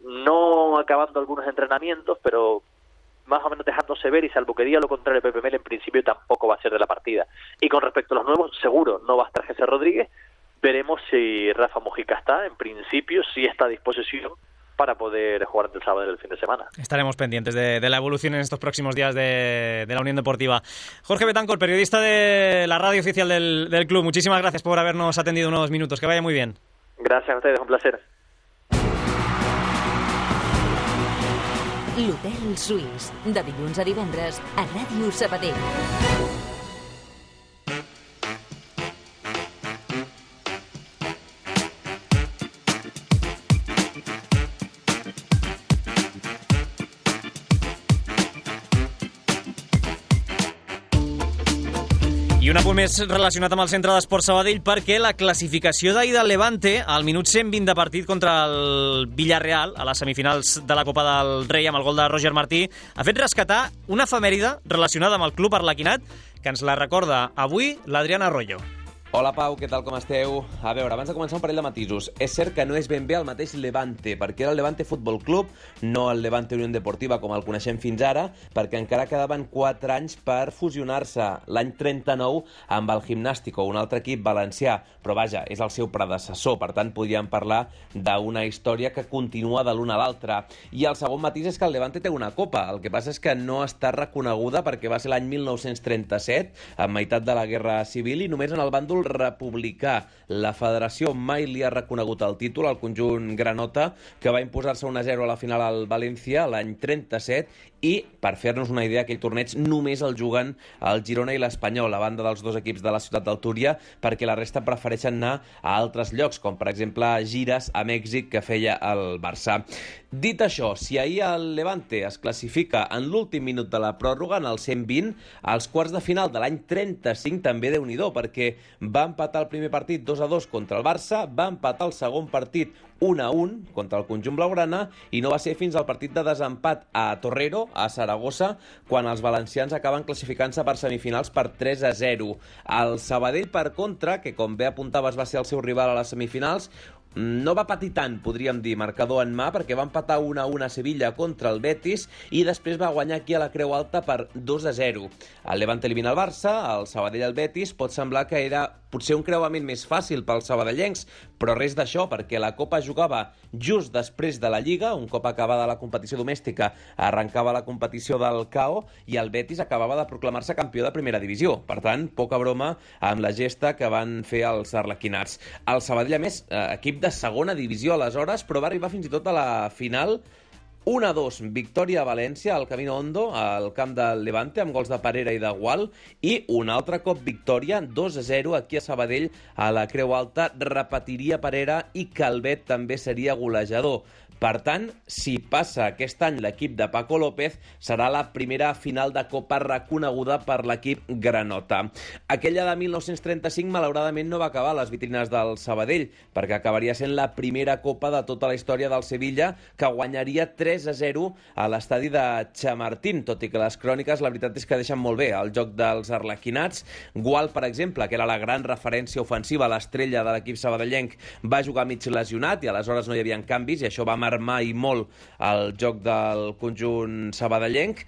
Speaker 7: no acabando algunos entrenamientos, pero más o menos dejándose ver, y salvo que diga lo contrario Pepe Mel, en principio tampoco va a ser de la partida. Y con respecto a los nuevos, seguro no va a estar Jesse Rodríguez. Veremos si Rafa Mujica está. En principio sí está a disposición para poder jugar el sábado del fin de semana.
Speaker 1: Estaremos pendientes de la evolución en estos próximos días de la Unión Deportiva. Jorge Betancor, periodista de la radio oficial del club, muchísimas gracias por habernos atendido unos minutos. Que vaya muy bien.
Speaker 7: Gracias a ustedes, un placer.
Speaker 3: L'Hotel Suís, de dilluns a divendres a Ràdio Sabadell.
Speaker 1: I un apunt més relacionat amb el Centre d'Esports Sabadell, perquè la classificació d'ahir del Levante al minut 120 de partit contra el Villarreal a les semifinals de la Copa del Rei amb el gol de Roger Martí ha fet rescatar una efemèride relacionada amb el club arlequinat que ens la recorda avui l'Adrián Arroyo.
Speaker 8: Hola Pau, què tal, com esteu? A veure, abans de començar un parell de matisos. És cert que no és ben bé el mateix Levante, perquè era el Levante Futbol Club, no el Levante Unión Deportiva com el coneixem fins ara, perquè encara quedaven 4 anys per fusionar-se l'any 39 amb el Gimnástico, un altre equip valencià, però vaja, és el seu predecessor, per tant podríem parlar d'una història que continua de l'una a l'altra. I el segon matís és que el Levante té una copa, el que passa és que no està reconeguda perquè va ser l'any 1937, a meitat de la Guerra Civil, i només en el bàndol republicà. La federació mai li ha reconegut el títol al conjunt granota, que va imposar-se 1-0 a la final al València l'any 37, i, per fer-nos una idea, aquell torneig només el juguen el Girona i l'Espanyol, a banda dels 2 equips de la ciutat del Túria, perquè la resta prefereixen anar a altres llocs, com per exemple gires a Mèxic que feia el Barça. Dit això, si ahir el Levante es classifica en l'últim minut de la pròrroga, en el 120, als quarts de final de l'any 35 també Déu-n'hi-do, perquè va empatar el primer partit 2-2 contra el Barça, va empatar el segon partit 1-1 contra el conjunt blaugrana, i no va ser fins al partit de desempat a Torrero, a Saragossa, quan els valencians acaben classificant-se per semifinals per 3-0. El Sabadell, per contra, que com bé apuntaves va ser el seu rival a les semifinals, no va patir tant, podríem dir, marcador en mà, perquè va empatar 1-1 a Sevilla contra el Betis i després va guanyar aquí a la Creu Alta per 2-0. El Levante elimina el Barça, el Sabadell el Betis. Pot semblar que era potser un creuament més fàcil pels sabadellencs, però res d'això, perquè la Copa jugava just després de la Lliga. Un cop acabada la competició domèstica arrencava la competició del KO i el Betis acabava de proclamar-se campió de primera divisió. Per tant, poca broma amb la gesta que van fer els arlequinats. El Sabadell, a més, equip de segona divisió aleshores, però va arribar fins i tot a la final. 1-2, victòria a València, al Camino Hondo, al camp del Levante, amb gols de Parera i de Gual, i un altre cop victòria, 2-0, aquí a Sabadell, a la Creu Alta. Repetiria Parera i Calvet també seria golejador. Per tant, si passa aquest any l'equip de Paco López, serà la primera final de Copa reconeguda per l'equip granota. Aquella de 1935, malauradament, no va acabar a les vitrines del Sabadell, perquè acabaria sent la primera Copa de tota la història del Sevilla, que guanyaria 3-0 a l'estadi de Chamartín, tot i que les cròniques, la veritat és que deixen molt bé el joc dels arlequinats. Gual, per exemple, que era la gran referència ofensiva, l'estrella de l'equip sabadellenc, va jugar mig lesionat i aleshores no hi havia canvis, i això va armar i molt el joc del conjunt sabadellenc.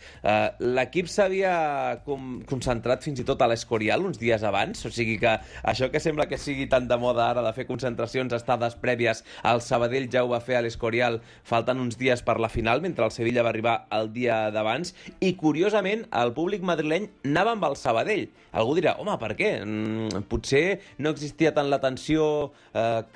Speaker 8: L'equip s'havia concentrat fins i tot a l'Escorial uns dies abans, o sigui que això que sembla que sigui tan de moda ara de fer concentracions, estades prèvies, el Sabadell ja ho va fer a l'Escorial faltant uns dies per la final, mentre el Sevilla va arribar el dia d'abans, i curiosament el públic madrileny anava amb el Sabadell. Algú dirà, home, per què? Potser no existia tant la tensió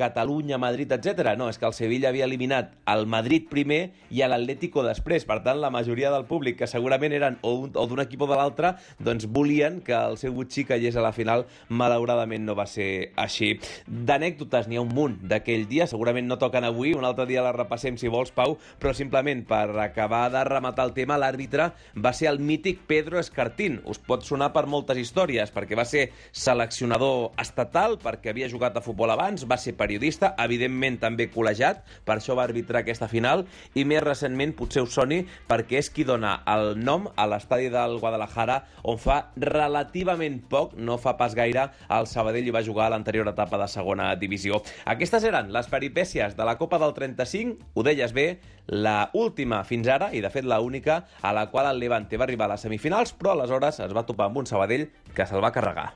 Speaker 8: Catalunya, Madrid, etc. No, és que el Sevilla havia eliminat al Madrid primer i a l'Atlético després. Per tant, la majoria del públic, que segurament eren o d'un equip o de l'altre, doncs volien que el seu butxí caigués a la final. Malauradament no va ser així. D'anècdotes n'hi ha un munt d'aquell dia, segurament no toquen avui, un altre dia la repassem si vols, Pau, però simplement per acabar de rematar el tema, l'àrbitre va ser el mític Pedro Escartín. Us pot sonar per moltes històries, perquè va ser seleccionador estatal, perquè havia jugat a futbol abans, va ser periodista, evidentment també col·legiat, per això va arbitrar aquesta final, i més recentment potser us soni perquè és qui dona el nom a l'estadi del Guadalajara, on fa relativament poc, no fa pas gaire, el Sabadell hi va jugar a l'anterior etapa de segona divisió. Aquestes eren les peripècies de la Copa del 35, ho deies bé, la última fins ara, i de fet la única, a la qual el Levante va arribar a les semifinals, però aleshores es va topar amb un Sabadell que se'l va carregar.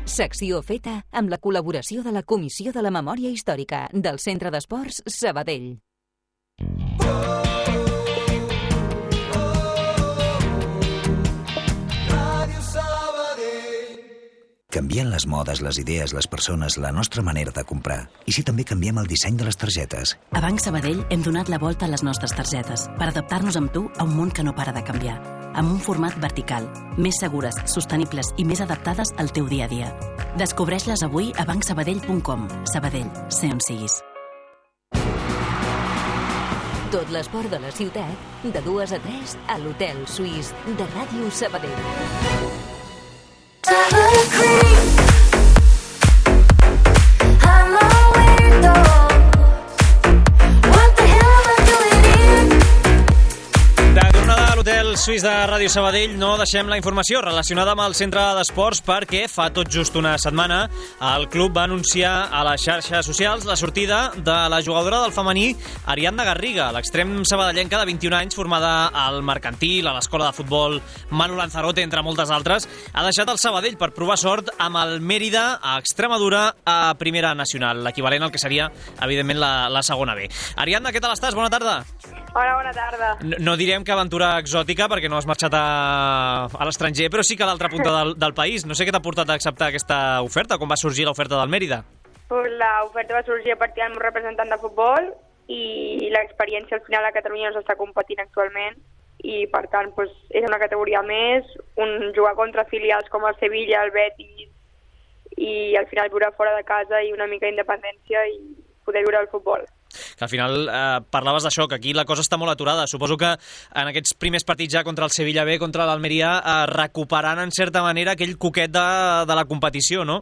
Speaker 3: Secció feta amb la col·laboració de la Comissió de la Memòria Històrica del Centre d'Esports Sabadell.
Speaker 9: Canvien les modes, les idees, les persones, la nostra manera de comprar. I si també canviem el disseny de les targetes?
Speaker 2: A Banc Sabadell hem donat la volta a les nostres targetes per adaptar-nos amb tu a un món que no para de canviar. Amb un format vertical, més segures, sostenibles i més adaptades al teu dia a dia. Descobreix-les avui a bancsabadell.com. Sabadell, sé on siguis.
Speaker 3: Tot l'esport de la ciutat, de 2 a 3 a l'Hotel Suís de Ràdio Sabadell.
Speaker 1: L'Hotel Suís de Ràdio Sabadell no deixem la informació relacionada amb el centre d'esports perquè fa tot just una setmana el club va anunciar a les xarxes socials la sortida de la jugadora del femení Ariadna Garriga, l'extrem sabadellenca de 21 anys formada al Mercantil, a l'escola de futbol Manu Lanzarote, entre moltes altres, ha deixat el Sabadell per provar sort amb el Mérida a Extremadura a Primera Nacional, l'equivalent al que seria, evidentment, la segona B. Ariadna, què tal estàs? Bona tarda.
Speaker 10: Hola, bona tarda.
Speaker 1: No direm que aventura exòtica perquè no has marxat a l'estranger, però sí que a l'altra punta del país. No sé què t'ha portat a acceptar aquesta oferta, com va sorgir l'oferta del Mérida.
Speaker 10: L'oferta va sorgir a partir del meu representant de futbol i l'experiència al final a Catalunya no s'està competint actualment i per tant és una categoria més, jugar contra filials com el Sevilla, el Betis i al final viure fora de casa i una mica d'independència i poder viure el futbol.
Speaker 1: Que al final parlaves d'això, que aquí la cosa està molt aturada. Suposo que en aquests primers partits ja contra el Sevilla B, contra l'Almeria, recuperant en certa manera aquell coquet de la competició, no?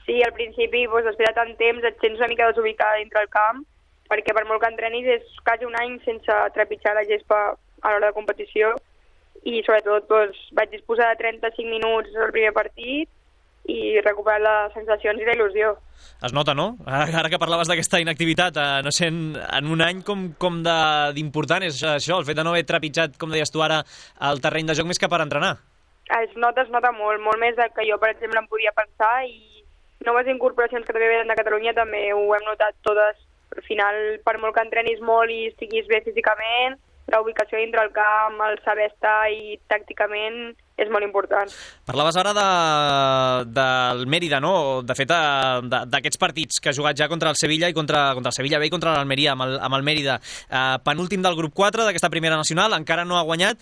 Speaker 10: Sí, al principi, després de tant temps, et sents una mica desubicada dintre el camp, perquè per molt que entrenis és quasi un any sense trepitjar la gespa a l'hora de competició i sobretot vaig disposar de 35 minuts al primer partit i recuperar les sensacions i la il·lusió.
Speaker 1: Es nota, no? Ara que parlaves d'aquesta inactivitat, no sé, en un any com d'important és això, el fet de no haver trepitjat, com deies tu ara, el terreny de joc més que per entrenar.
Speaker 10: Es nota molt més del que jo, per exemple, em podia pensar i noves incorporacions que també venen de Catalunya també ho hem notat totes. Al final, per molt que entrenis molt i estiguis bé físicament, la ubicació dintre el camp, el saber estar i tàcticament és molt important.
Speaker 1: Parlaves ara del Mérida, no? De fet, d'aquests partits que ha jugat ja contra el Sevilla i contra el Sevilla B i contra l'Almeria amb el Mérida. Penúltim del grup 4 d'aquesta primera nacional, encara no ha guanyat.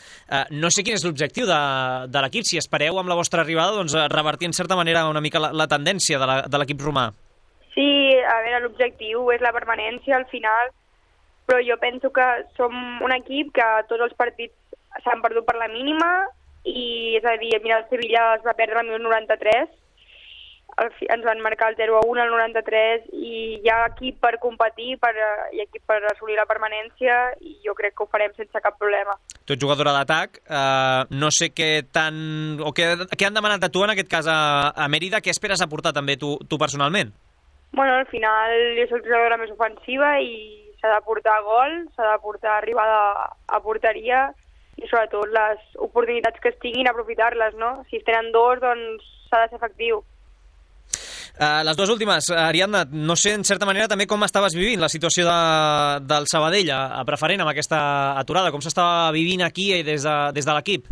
Speaker 1: No sé quin és l'objectiu de l'equip, si espereu amb la vostra arribada revertir en certa manera una mica la tendència de l'equip romà.
Speaker 10: Sí, a veure, l'objectiu és la permanència al final, però jo penso que som un equip que tots els partits s'han perdut per la mínima i, és a dir, mira, el Sevilla es va perdre al minut 93, ens van marcar el 0-1 al 93 i hi ha equip per competir, hi ha equip per assolir la permanència i jo crec que ho farem sense cap problema.
Speaker 1: Tu ets jugadora d'atac, no sé què han demanat de tu en aquest cas a Mérida, què esperes aportar també tu personalment?
Speaker 10: Bueno, al final jo soc jugadora més ofensiva i s'ha de portar gol, s'ha de portar arribada a porteria i sobretot les oportunitats que es tinguin aprofitar-les, no? Si es tenen dos, doncs s'ha de ser efectiu.
Speaker 1: Les dues últimes, Ariadna, no sé en certa manera també com estaves vivint la situació del Sabadell a Preferent amb aquesta aturada, com s'estava vivint aquí des de l'equip?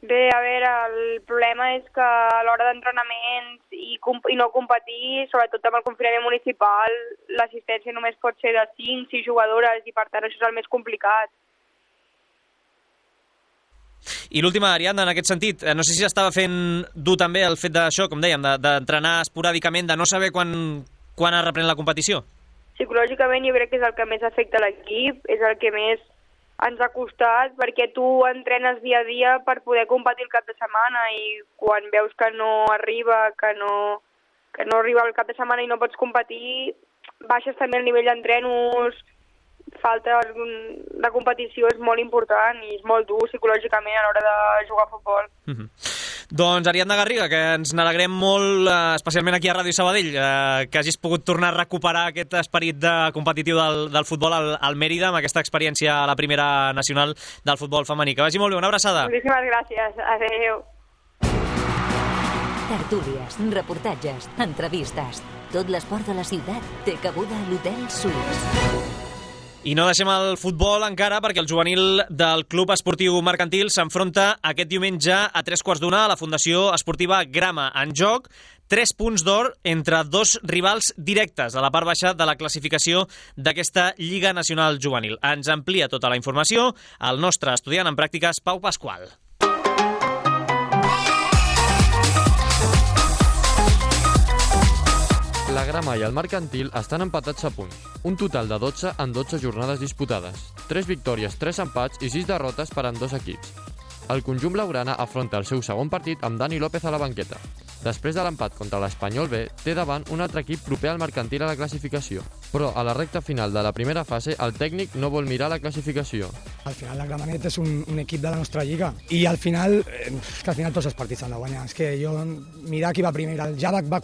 Speaker 10: Bé, a veure, el problema és que a l'hora d'entrenaments i no competir, sobretot amb el confinament municipal, l'assistència només pot ser de 5-6 jugadores i per tant això és el més complicat.
Speaker 1: I l'última, Ariadna, en aquest sentit, no sé si estava fent dur també el fet d'això, com dèiem, d'entrenar esporàdicament, de no saber quan es reprèn la competició?
Speaker 10: Psicològicament jo crec que és el que més afecta l'equip, és el que més ens ha costat, perquè tu entrenes dia a dia per poder competir el cap de setmana i quan veus que no arriba, que no arriba el cap de setmana i no pots competir, baixes també el nivell d'entrenos, falta de competició és molt important i és molt dur psicològicament a l'hora de jugar a futbol.
Speaker 1: Doncs Ariadna Garriga, que ens n'alegrem molt, especialment aquí a Ràdio Sabadell, que hagis pogut tornar a recuperar aquest esperit competitiu del futbol al Mèrida amb aquesta experiència a la primera nacional del futbol femení. Que vagi molt bé, una abraçada.
Speaker 10: Moltíssimes gràcies, adéu.
Speaker 3: Tertúlies, reportatges, entrevistes. Tot l'esport de la ciutat té cabuda a l'Hotel Suís.
Speaker 1: I no deixem el futbol encara perquè el juvenil del Club Esportiu Mercantil s'enfronta aquest diumenge a 3:15 a la Fundació Esportiva Grama. En joc, 3 punts d'or entre 2 rivals directes a la part baixa de la classificació d'aquesta Lliga Nacional Juvenil. Ens amplia tota la informació el nostre estudiant en pràctiques, Pau Pasqual.
Speaker 11: La Grama i el Mercantil estan empatats a punts. Un total de 12 en 12 jornades disputades. 3 victòries, 3 empats i 6 derrotes per a 2 equips. El conjunt blaugrana afronta el seu segon partit amb Dani López a la banqueta. Després de l'empat contra l'Espanyol B, té davant un altre equip proper al Mercantil a la classificació. Però a la recta final de la primera fase, el tècnic no vol mirar la classificació.
Speaker 12: Al final la Gramenet és un equip de la nostra lliga i al final, que al final tots els partits s'han de guanyar. És que jo, mirar qui va primer, el Javac va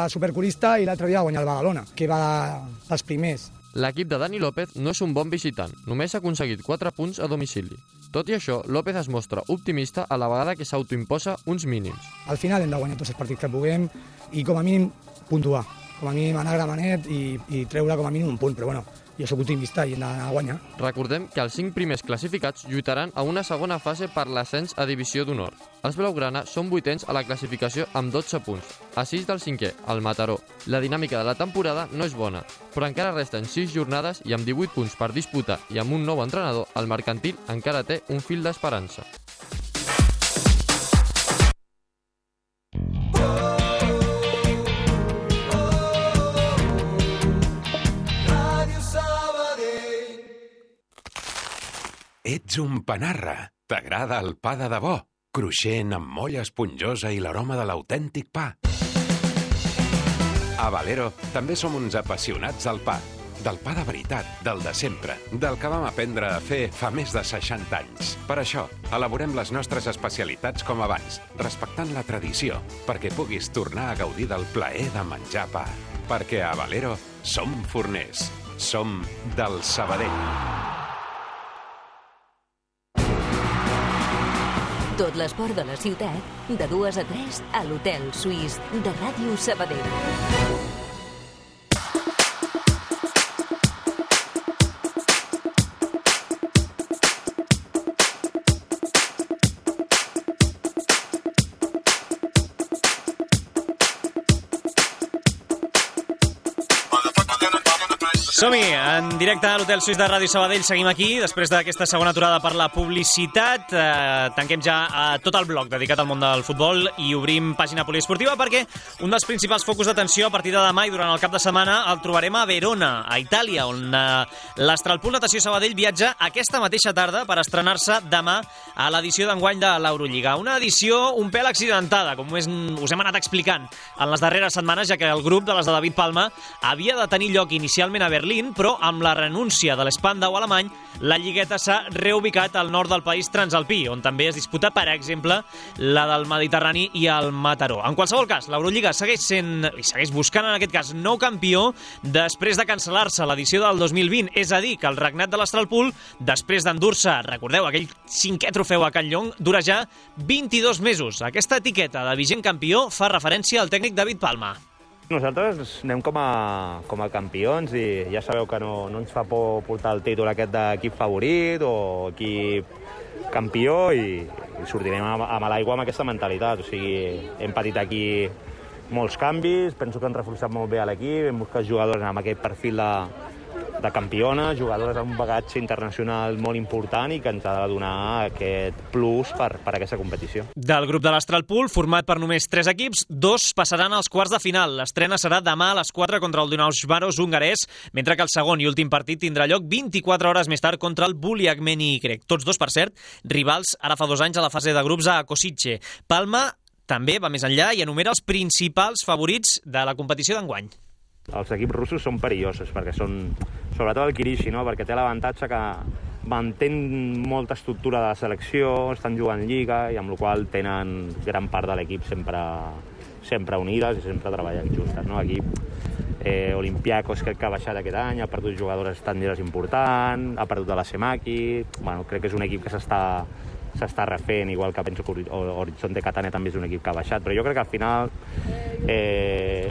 Speaker 12: supercorista i l'altre dia va guanyar el Badalona, que va dels primers.
Speaker 11: L'equip de Dani López no és un bon visitant, només ha aconseguit 4 punts a domicili. Tot i això, López es mostra optimista a la vegada que s'autoimposa uns mínims.
Speaker 12: Al final hem de guanyar tots els partits que puguem i com a mínim puntuar. Com a mínim anar a Gramenet i treure com a mínim un punt, però bueno, jo soc optimista i hem d'anar a guanyar.
Speaker 11: Recordem que els 5 primers classificats lluitaran a una segona fase per l'ascens a Divisió d'Honor. Els blaugrana són 8ens a la classificació amb 12 punts, a 6 del 5è, el Mataró. La dinàmica de la temporada no és bona, però encara resten 6 jornades i amb 18 punts per disputar i amb un nou entrenador, el Mercantil encara té un fil d'esperança.
Speaker 13: Ets un panarra. T'agrada el pa de debò? Cruixent, amb molla esponjosa i l'aroma de l'autèntic pa. A Valero també som uns apassionats del pa. Del pa de veritat, del de sempre, del que vam aprendre a fer fa més de 60 anys. Per això, elaborem les nostres especialitats com abans, respectant la tradició, perquè puguis tornar a gaudir del plaer de menjar pa. Perquè a Valero som forners. Som del Sabadell.
Speaker 3: Tot l'esport de la ciutat, de 2 a 3 a l'Hotel Suís de Ràdio Sabadell.
Speaker 1: Som-hi, en directe a l'Hotel Suís de Ràdio Sabadell. Seguim aquí, després d'aquesta segona aturada per la publicitat. Tanquem ja tot el bloc dedicat al món del futbol i obrim pàgina poliesportiva perquè un dels principals focus d'atenció a partir de demà i durant el cap de setmana el trobarem a Verona, a Itàlia, on l'Astralpool Natació Sabadell viatja aquesta mateixa tarda per estrenar-se demà a l'edició d'enguany de l'Eurolliga. Una edició un pèl accidentada, com us hem anat explicant en les darreres setmanes, ja que el grup de les de David Palma havia de tenir lloc inicialment a Berlín, però amb la renúncia de l'Spandau alemany, la lligueta s'ha reubicat al nord del país transalpí, on també es disputa, per exemple, la del Mediterrani i el Mataró. En qualsevol cas, l'Eurolliga segueix buscant, en aquest cas, nou campió després de cancel·lar-se l'edició del 2020. És a dir, que el regnat de l'Astralpool, després d'endur-se, recordeu, aquell 5è trofeu a Can Llong, dura ja 22 mesos. Aquesta etiqueta de vigent campió fa referència al tècnic David Palma.
Speaker 14: Nosaltres anem com a campions i ja sabeu que no ens fa por portar el títol aquest d'equip favorit o equip campió i sortirem a l'aigua amb aquesta mentalitat. O sigui, hem patit aquí molts canvis, penso que han reforçat molt bé a l'equip, hem buscat jugadors amb aquest perfil de campiona, jugadores amb un bagatge internacional molt important i que ens ha de donar aquest plus per aquesta competició.
Speaker 1: Del grup de l'Astralpool, format per només 3 equips, 2 passaran als quarts de final. L'estrena serà demà a les 4 contra el Dunajvaros hongarès, mentre que el segon i últim partit tindrà lloc 24 hores més tard contra el Buliagmeni grec. Tots dos, per cert, rivals ara fa 2 anys a la fase de grups a Kosice. Palma també va més enllà i enumera els principals favorits de la competició d'enguany.
Speaker 14: Els equips russos són perillosos, perquè són, sobretot el Kirishi, no? Perquè té l'avantatge que mantén molta estructura de la selecció, estan jugant lliga i amb la qual tenen gran part de l'equip sempre unides i sempre treballant justes. No? Aquí Olympiacos crec que ha baixat aquest any, ha perdut jugadores estrangers importants, ha perdut a la Semaki, bueno, crec que és un equip que s'està refent, igual que penso que Horizonte Catania també és un equip que ha baixat, però jo crec que al final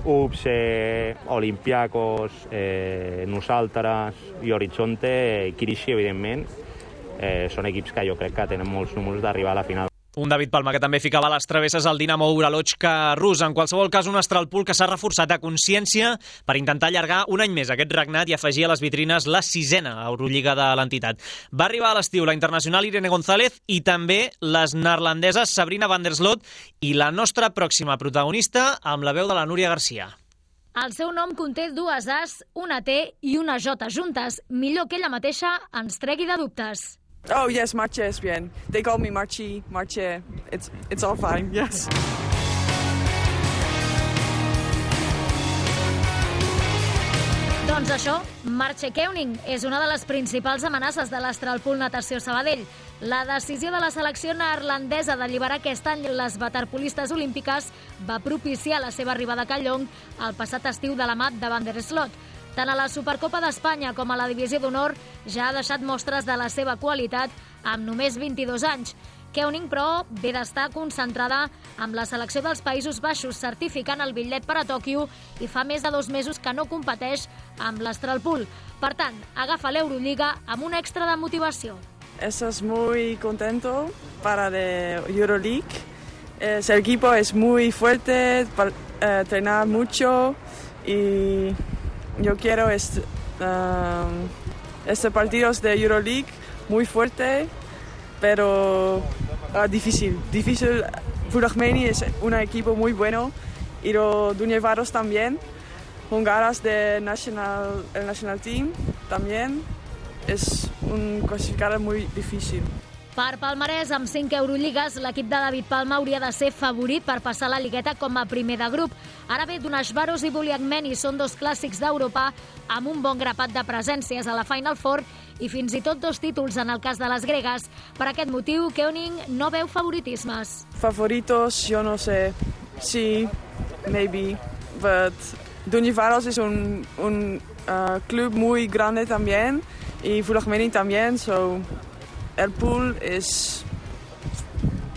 Speaker 14: UPSE, Olympiacos, nosaltres i Horizonte, Kirishi, evidentment, són equips que jo crec que tenen molts números d'arribar a la final.
Speaker 1: Un David Palma que també ficava les travesses al Dinamo Uralochka rus. En qualsevol cas, un Astralpool que s'ha reforçat a consciència per intentar allargar un any més aquest regnat i afegir a les vitrines la 6a Eurolliga de l'entitat. Va arribar a l'estiu la internacional Irene González i també les neerlandeses Sabrina van der Sloot i la nostra pròxima protagonista amb la veu de la Núria Garcia.
Speaker 15: El seu nom conté 2 As, una T i una J juntes. Millor que ella mateixa ens tregui de dubtes.
Speaker 16: Oh, yes, Marche es bien. They call me Marche. It's all fine, yes.
Speaker 15: Doncs això, Marche Keuning és una de les principals amenaces de l'Astralpool Natació Sabadell. La decisió de la selecció neerlandesa d'alliberar aquest any les waterpolistes olímpiques va propiciar la seva arribada a Callong el passat estiu de la mà de Van der Sloot. Tant a la Supercopa d'Espanya com a la Divisió d'Honor ja ha deixat mostres de la seva qualitat amb només 22 anys. Keuning, però, ve d'estar concentrada amb la selecció dels Països Baixos, certificant el bitllet per a Tòquio i fa més de 2 mesos que no competeix amb l'Astralpool. Per tant, agafa l'Eurolliga amb un extra de motivació.
Speaker 16: Estás muy contento para la Euroleague. El equipo es muy fuerte, entrenar mucho y yo quiero este partidos de Euroleague muy fuerte, pero difícil. Buliagmeni es un equipo muy bueno y los Dunajvaros también. Hongaras el national team también. Es un clasificado muy difícil.
Speaker 15: Per palmarès, amb 5 Eurolligas, l'equip de David Palma hauria de ser favorit per passar la ligueta com a primer de grup. Ara bé, Dunajvaros i Buliagmeni són 2 clàssics d'Europa amb un bon grapat de presències a la Final Four i fins i tot 2 títols en el cas de les gregues. Per aquest motiu, Keuning no veu favoritismes.
Speaker 16: Favoritos, yo no sé. Sí, maybe, but Dunajvaros es un club muy grande también y Buliagmeni también, so el pool és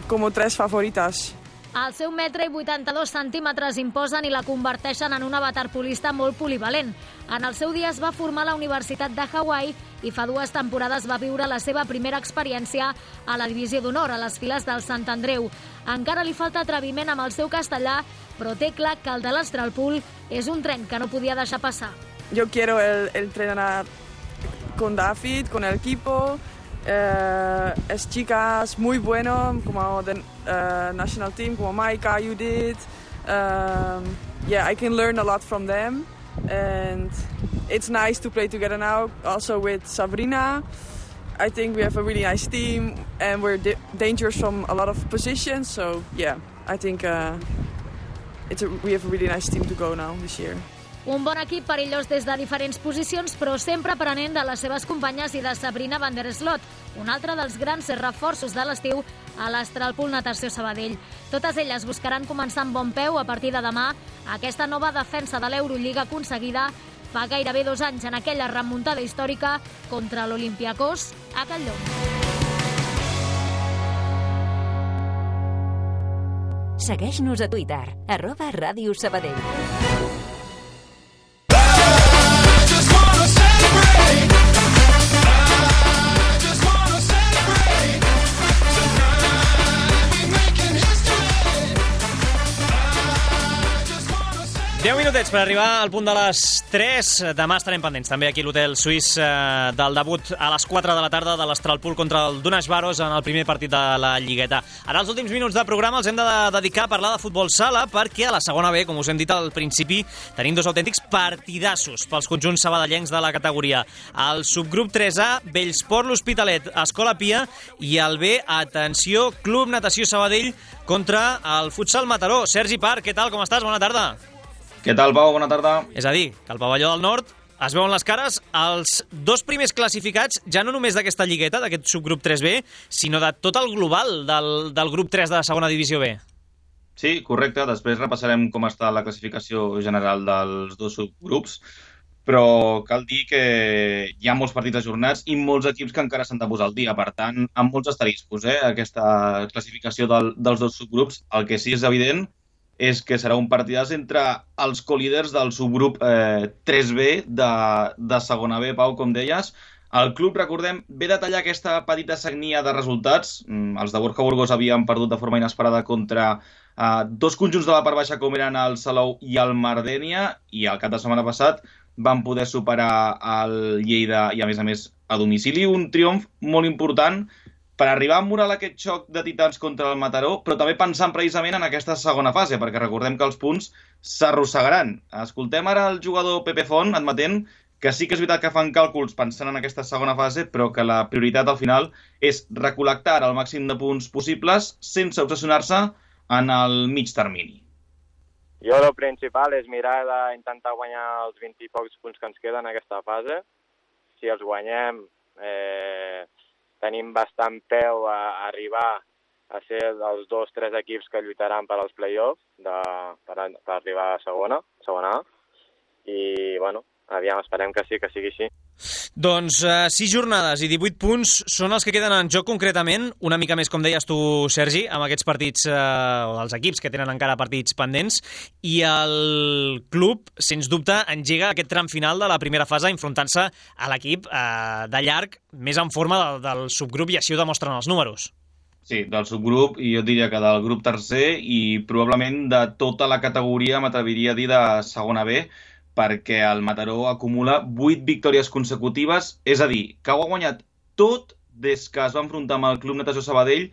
Speaker 16: com 3 favorites.
Speaker 15: El seu 1,82 m imposen i la converteixen en una waterpolista molt polivalent. En el seu dia es va formar a la Universitat de Hawaii i fa 2 temporades va viure la seva primera experiència a la Divisió d'Honor, a les files del Sant Andreu. Encara li falta atreviment amb el seu castellà, però té clar que el de l'Astralpool és un tren que no podia deixar passar.
Speaker 16: Yo quiero entrenar con David, con el equipo. Es chicas muy bueno, como the national team, como Maika, Judith. I can learn a lot from them, and it's nice to play together now. Also with Sabrina, I think we have a really nice team, and we're dangerous from a lot of positions. So I think we have a really nice team to go now this year.
Speaker 15: Un bon equip perillós des de diferents posicions, però sempre aprenent de les seves companyes i de Sabrina van der Sloot, un altre dels grans reforços de l'estiu a l'Astralpool Natació Sabadell. Totes elles buscaran començar amb bon peu a partir de demà aquesta nova defensa de l'Eurolliga aconseguida fa gairebé 2 anys en aquella remuntada històrica contra l'Olympiacos a Callong.
Speaker 3: Segueix-nos a Twitter, @Ràdio Sabadell.
Speaker 1: 10 minutets per arribar al punt de les 3. Demà estarem pendents també aquí a l'Hotel Suís del debut a les 4 de la tarda de l'Astralpool contra el Donasvaros en el primer partit de la Lligueta. Ara els últims minuts de programa els hem de dedicar a parlar de futbol sala perquè a la segona B, com us hem dit al principi, tenim dos autèntics partidassos pels conjunts sabadellencs de la categoria. El subgrup 3A, Bellsport l'Hospitalet, Escola Pia, i el B, atenció, Club Natació Sabadell contra el Futsal Mataró. Sergi Parc, què tal, com estàs? Bona tarda.
Speaker 17: Què tal, Pau? Bona tarda.
Speaker 1: És a dir, que al pavelló del Nord es veuen les cares els dos primers classificats, ja no només d'aquesta lligueta, d'aquest subgrup 3B, sinó de tot el global del grup 3 de la segona divisió B.
Speaker 17: Sí, correcte. Després repassarem com està la classificació general dels dos subgrups, però cal dir que hi ha molts partits ajornats i molts equips que encara s'han de posar al dia. Per tant, amb molts asteriscos, aquesta classificació dels dos subgrups. El que sí és evident és que serà un partidàs entre els colíders del subgrup 3B de segona B, Pau, com deies. El club, recordem, ve de tallar aquesta petita sagnia de resultats. Els de Borja Burgos havien perdut de forma inesperada contra dos conjunts de la part baixa com eren el Salou i el Mardènia, i el cap de setmana passat van poder superar el Lleida i, a més, a domicili. Un triomf molt important per arribar a emmurar aquest xoc de titans contra el Mataró, però també pensant precisament en aquesta segona fase, perquè recordem que els punts s'arrossegaran. Escoltem ara el jugador Pepe Font admetent que sí que és veritat que fan càlculs pensant en aquesta segona fase, però que la prioritat al final és recol·lectar el màxim de punts possibles sense obsessionar-se en el mig termini.
Speaker 18: Jo el principal és mirar d'intentar guanyar els 20 i pocs punts que ens queden en aquesta fase. Si els guanyem, tenim bastant peu a arribar a ser dels 2-3 equips que lluitaran per als play-offs per arribar a segona A. I, aviam, esperem que sí, que sigui així.
Speaker 1: Doncs 6 jornades i 18 punts són els que queden en joc concretament, una mica més, com deies tu, Sergi, amb aquests partits, o els equips que tenen encara partits pendents, i el club, sens dubte, engega aquest tram final de la primera fase enfrontant-se a l'equip de llarg més en forma del subgrup, i així ho demostren els números.
Speaker 17: Sí, del subgrup, i jo diria que del grup tercer, i probablement de tota la categoria, m'atreviria a dir, de segona B, perquè el Mataró acumula 8 victòries consecutives, és a dir, que ho ha guanyat tot des que es va enfrontar amb el Club Natació Sabadell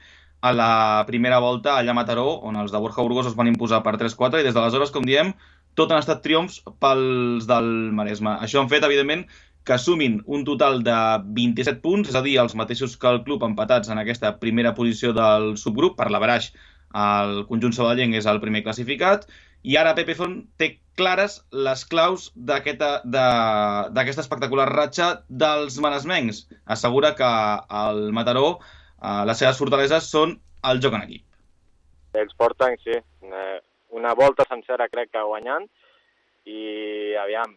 Speaker 17: a la primera volta allà a Mataró, on els de Borja Burgos es van imposar per 3-4, i des d'aleshores, com diem, tot han estat triomfs pels del Maresme. Això han fet, evidentment, que sumin un total de 27 punts, és a dir, els mateixos que el club empatats en aquesta primera posició del subgrup. Per l'averaix, el conjunt sabadellenc és el primer classificat, i ara Pepe Font té clares les claus d'aquesta espectacular ratxa dels maresmencs. Assegura que el Mataró, les seves fortaleses són el joc en equip.
Speaker 18: Ells porten, sí, una volta sencera crec que guanyant, i aviam,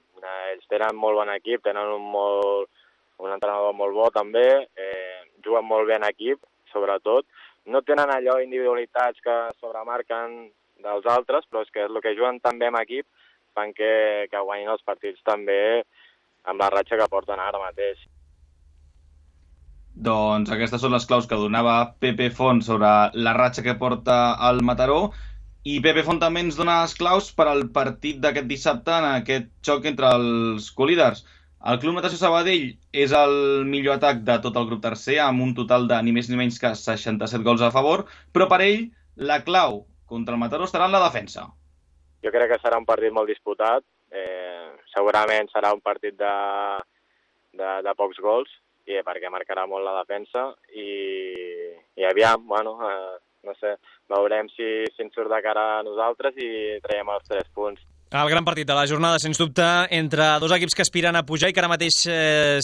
Speaker 18: ells tenen molt bon equip, tenen un entrenador molt bo també, juguen molt bé en equip, sobretot. No tenen allò individualitats que sobremarquen dels altres, però és que el que juguen també en equip fan que guanyin els partits també amb la ratxa que porten ara mateix.
Speaker 17: Doncs aquestes són les claus que donava Pepe Font sobre la ratxa que porta el Mataró, i Pepe Font també ens dona les claus per al partit d'aquest dissabte en aquest xoc entre els colíders. El Club Natació Sabadell és el millor atac de tot el grup tercer, amb un total de ni més ni menys que 67 gols a favor, però per ell la clau contra el Mataró estarà en la defensa.
Speaker 18: Jo crec que serà un partit molt disputat. Segurament serà un partit de pocs gols, perquè marcarà molt la defensa. I aviam, no sé, veurem si ens surt de cara a nosaltres i traiem els 3 punts.
Speaker 1: El gran partit de la jornada, sens dubte, entre dos equips que aspiren a pujar i que ara mateix,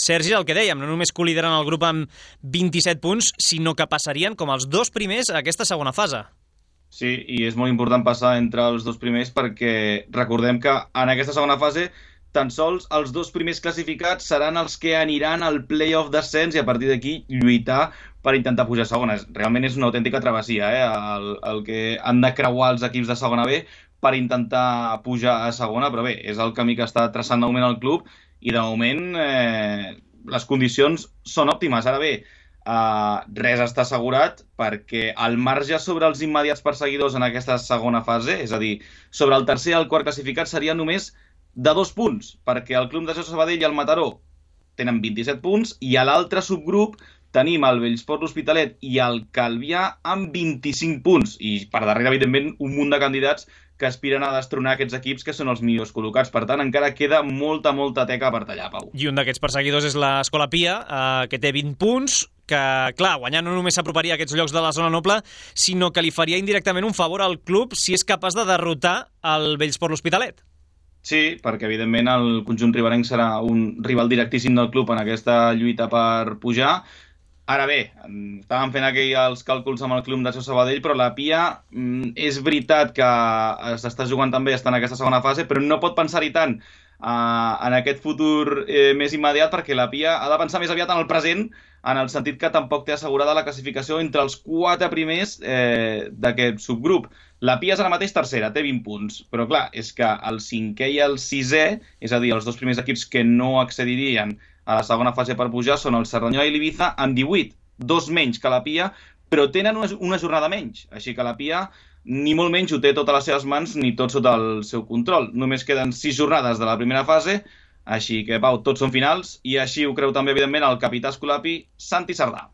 Speaker 1: Sergi, el que dèiem, no només colideren el grup amb 27 punts, sinó que passarien com els dos primers a aquesta segona fase.
Speaker 17: Sí, i és molt important passar entre els dos primers perquè recordem que en aquesta segona fase tan sols els dos primers classificats seran els que aniran al play-off d'ascens i a partir d'aquí lluitar per intentar pujar a segona. Realment és una autèntica travessia, el que han de creuar els equips de segona B per intentar pujar a segona, però bé, és el camí que està traçant de moment el club i de moment les condicions són òptimes. Ara bé, res està assegurat perquè el marge sobre els immediats perseguidors en aquesta segona fase, és a dir, sobre el tercer i el quart classificat, seria només de 2 punts, perquè el Club Natació Sabadell i el Mataró tenen 27 punts i a l'altre subgrup tenim el Bellsport, l'Hospitalet i el Calvià amb 25 punts. I per darrere, evidentment, un munt de candidats que aspiren a destronar aquests equips que són els millors col·locats. Per tant, encara queda molta teca per tallar, Pau.
Speaker 1: I un d'aquests perseguidors és l'Escola Pia, que té 20 punts, que, clar, guanyar no només s'aproparia a aquests llocs de la zona noble, sinó que li faria indirectament un favor al club si és capaç de derrotar el Bellsport, l'Hospitalet.
Speaker 17: Sí, perquè evidentment el conjunt riberenc serà un rival directíssim del club en aquesta lluita per pujar. Ara bé, estàvem fent aquí els càlculs amb el Club Natació Sabadell, però la Pia és veritat que s'està jugant també, està en aquesta segona fase, però no pot pensar-hi tant en aquest futur més immediat, perquè la Pia ha de pensar més aviat en el present, en el sentit que tampoc té assegurada la classificació entre els 4 primers d'aquest subgrup. La Pia és ara mateix tercera, té 20 punts, però clar, és que el 5è i el 6è, és a dir, els 2 primers equips que no accedirien a la segona fase per pujar són el Cerdanyola i l'Ibiza amb 18, 2 menys que la Pia, però tenen una jornada menys. Així que la Pia ni molt menys ho té tot a les seves mans ni tot sota el seu control. Només queden 6 jornades de la primera fase, així que, Pau, tots són finals, i així ho creu també, evidentment, el capità escolapi, Santi Sardà.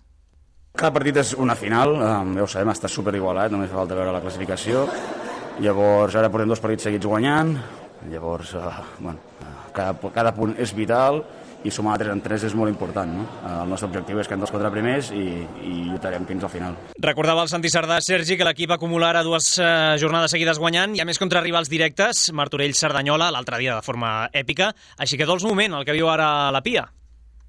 Speaker 19: Cada partit és una final, ja ho sabem, està superigualat, només fa falta veure la classificació. Llavors, ara portem 2 partits seguits guanyant, llavors, cada punt és vital, i sumar 3 en 3 és molt important, no? El nostre objectiu és quedar dels 4 primers i lluitarem fins al final.
Speaker 1: Recordava el Santi Sardà, Sergi, que l'equip acumula ara 2 jornades seguides guanyant, i a més contra rivals directes, Martorell-Cerdanyola, l'altre dia de forma èpica, així que dols moment el que viu ara la Pia.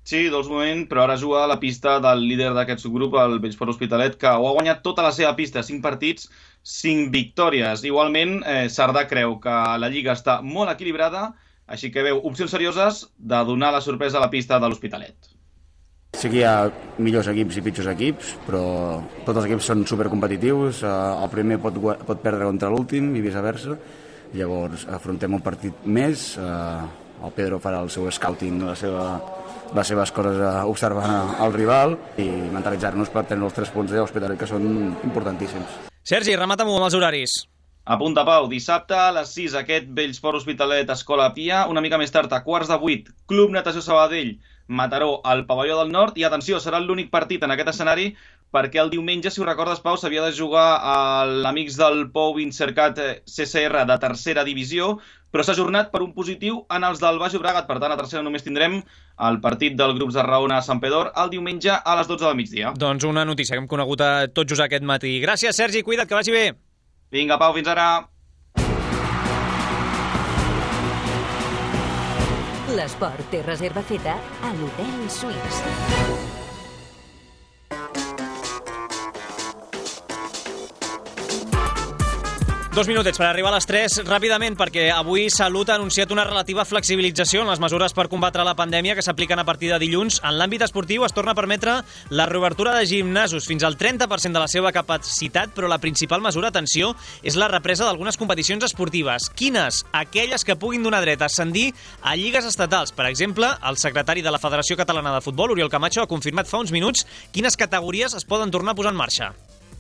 Speaker 17: Sí, dols moment, però ara juga a la pista del líder d'aquest subgrup, el Bellsport Hospitalet, que ho ha guanyat tota la seva pista, 5 partits, 5 victòries. Igualment, Sardà creu que la Lliga està molt equilibrada, així que veu opcions serioses de donar la sorpresa a la pista de l'Hospitalet.
Speaker 19: Sí que hi ha millors equips i pitjors equips, però tots els equips són supercompetitius. El primer pot perdre contra l'últim i viceversa. Llavors afrontem un partit més. El Pedro farà el seu scouting, les seves coses observant el rival i mentalitzar-nos per tenir els 3 punts de l'Hospitalet, que són importantíssims.
Speaker 1: Sergi, remata-m'ho amb els horaris.
Speaker 17: Apunta, Pau, dissabte a les 6 aquest Bellsport Hospitalet Escola Pia, una mica més tard a 7:15, Club Natació Sabadell, Mataró al Pavelló del Nord, i atenció, serà l'únic partit en aquest escenari perquè el diumenge, si ho recordes, Pau, s'havia de jugar a l'Amics del Pou Incercat CCR de tercera divisió, però s'ha ajornat per un positiu en els del Baix Llobregat. Per tant, a tercera només tindrem el partit del grup de Raona a Sant Pedor el diumenge a les 12 del migdia.
Speaker 1: Doncs una notícia que hem conegut tot just aquest matí. Gràcies, Sergi, cuida't, que vagi bé.
Speaker 17: Vinga, Pau, fins ara.
Speaker 3: L'esport té reserva feta a l'Hotel Suís.
Speaker 1: 2 minutets per arribar a les 3, ràpidament, perquè avui Salut ha anunciat una relativa flexibilització en les mesures per combatre la pandèmia que s'apliquen a partir de dilluns. En l'àmbit esportiu es torna a permetre la reobertura de gimnasos fins al 30% de la seva capacitat, però la principal mesura, atenció, és la represa d'algunes competicions esportives. Quines? Aquelles que puguin donar dret a ascendir a lligues estatals. Per exemple, el secretari de la Federació Catalana de Futbol, Oriol Camacho, ha confirmat fa uns minuts quines categories es poden tornar a posar en marxa.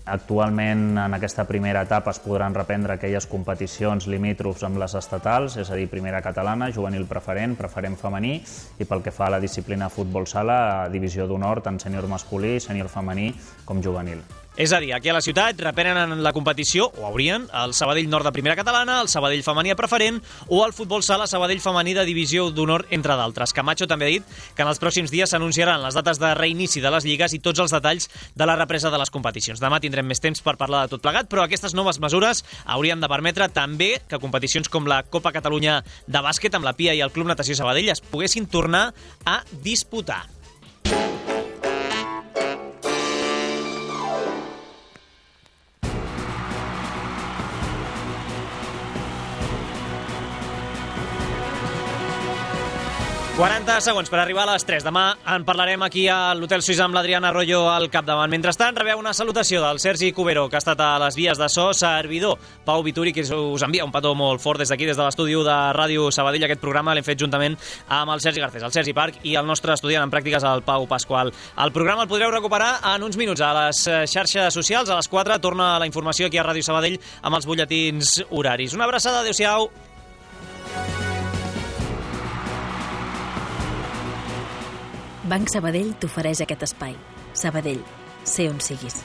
Speaker 20: Actualment, en aquesta primera etapa, es podran reprendre aquelles competicions limítrofs amb les estatals, és a dir, primera catalana, juvenil preferent, preferent femení, i pel que fa a la disciplina futbol sala, divisió d'honor, tant sènior masculí, sènior femení com juvenil.
Speaker 1: És a dir, aquí a la ciutat reprenen la competició, o haurien, el Sabadell Nord de primera catalana, el Sabadell femení preferent o el futbol sala Sabadell femení de divisió d'honor, entre d'altres. Camacho també ha dit que en els pròxims dies s'anunciaran les dates de reinici de les lligues i tots els detalls de la represa de les competicions. Demà tindrem més temps per parlar de tot plegat, però aquestes noves mesures haurien de permetre també que competicions com la Copa Catalunya de bàsquet amb la Pia i el Club Natació Sabadell es poguessin tornar a disputar. 40 segons per arribar a les 3. Demà en parlarem aquí a l'Hotel Suïssa amb l'Adriana Arroyo al capdavant. Mentrestant, rebeu una salutació del Sergi Cubero, que ha estat a les vies de so, servidor Pau Vituri, que us envia un petó molt fort des d'aquí, des de l'estudi de Ràdio Sabadell. Aquest programa l'hem fet juntament amb el Sergi Garcés, el Sergi Parc i el nostre estudiant en pràctiques, el Pau Pasqual. El programa el podreu recuperar en uns minuts a les xarxes socials. A les 4 torna la informació aquí a Ràdio Sabadell amb els butlletins horaris. Una abraçada, adéu-siau.
Speaker 2: Banc Sabadell t'ofereix aquest espai. Sabadell, sé on siguis.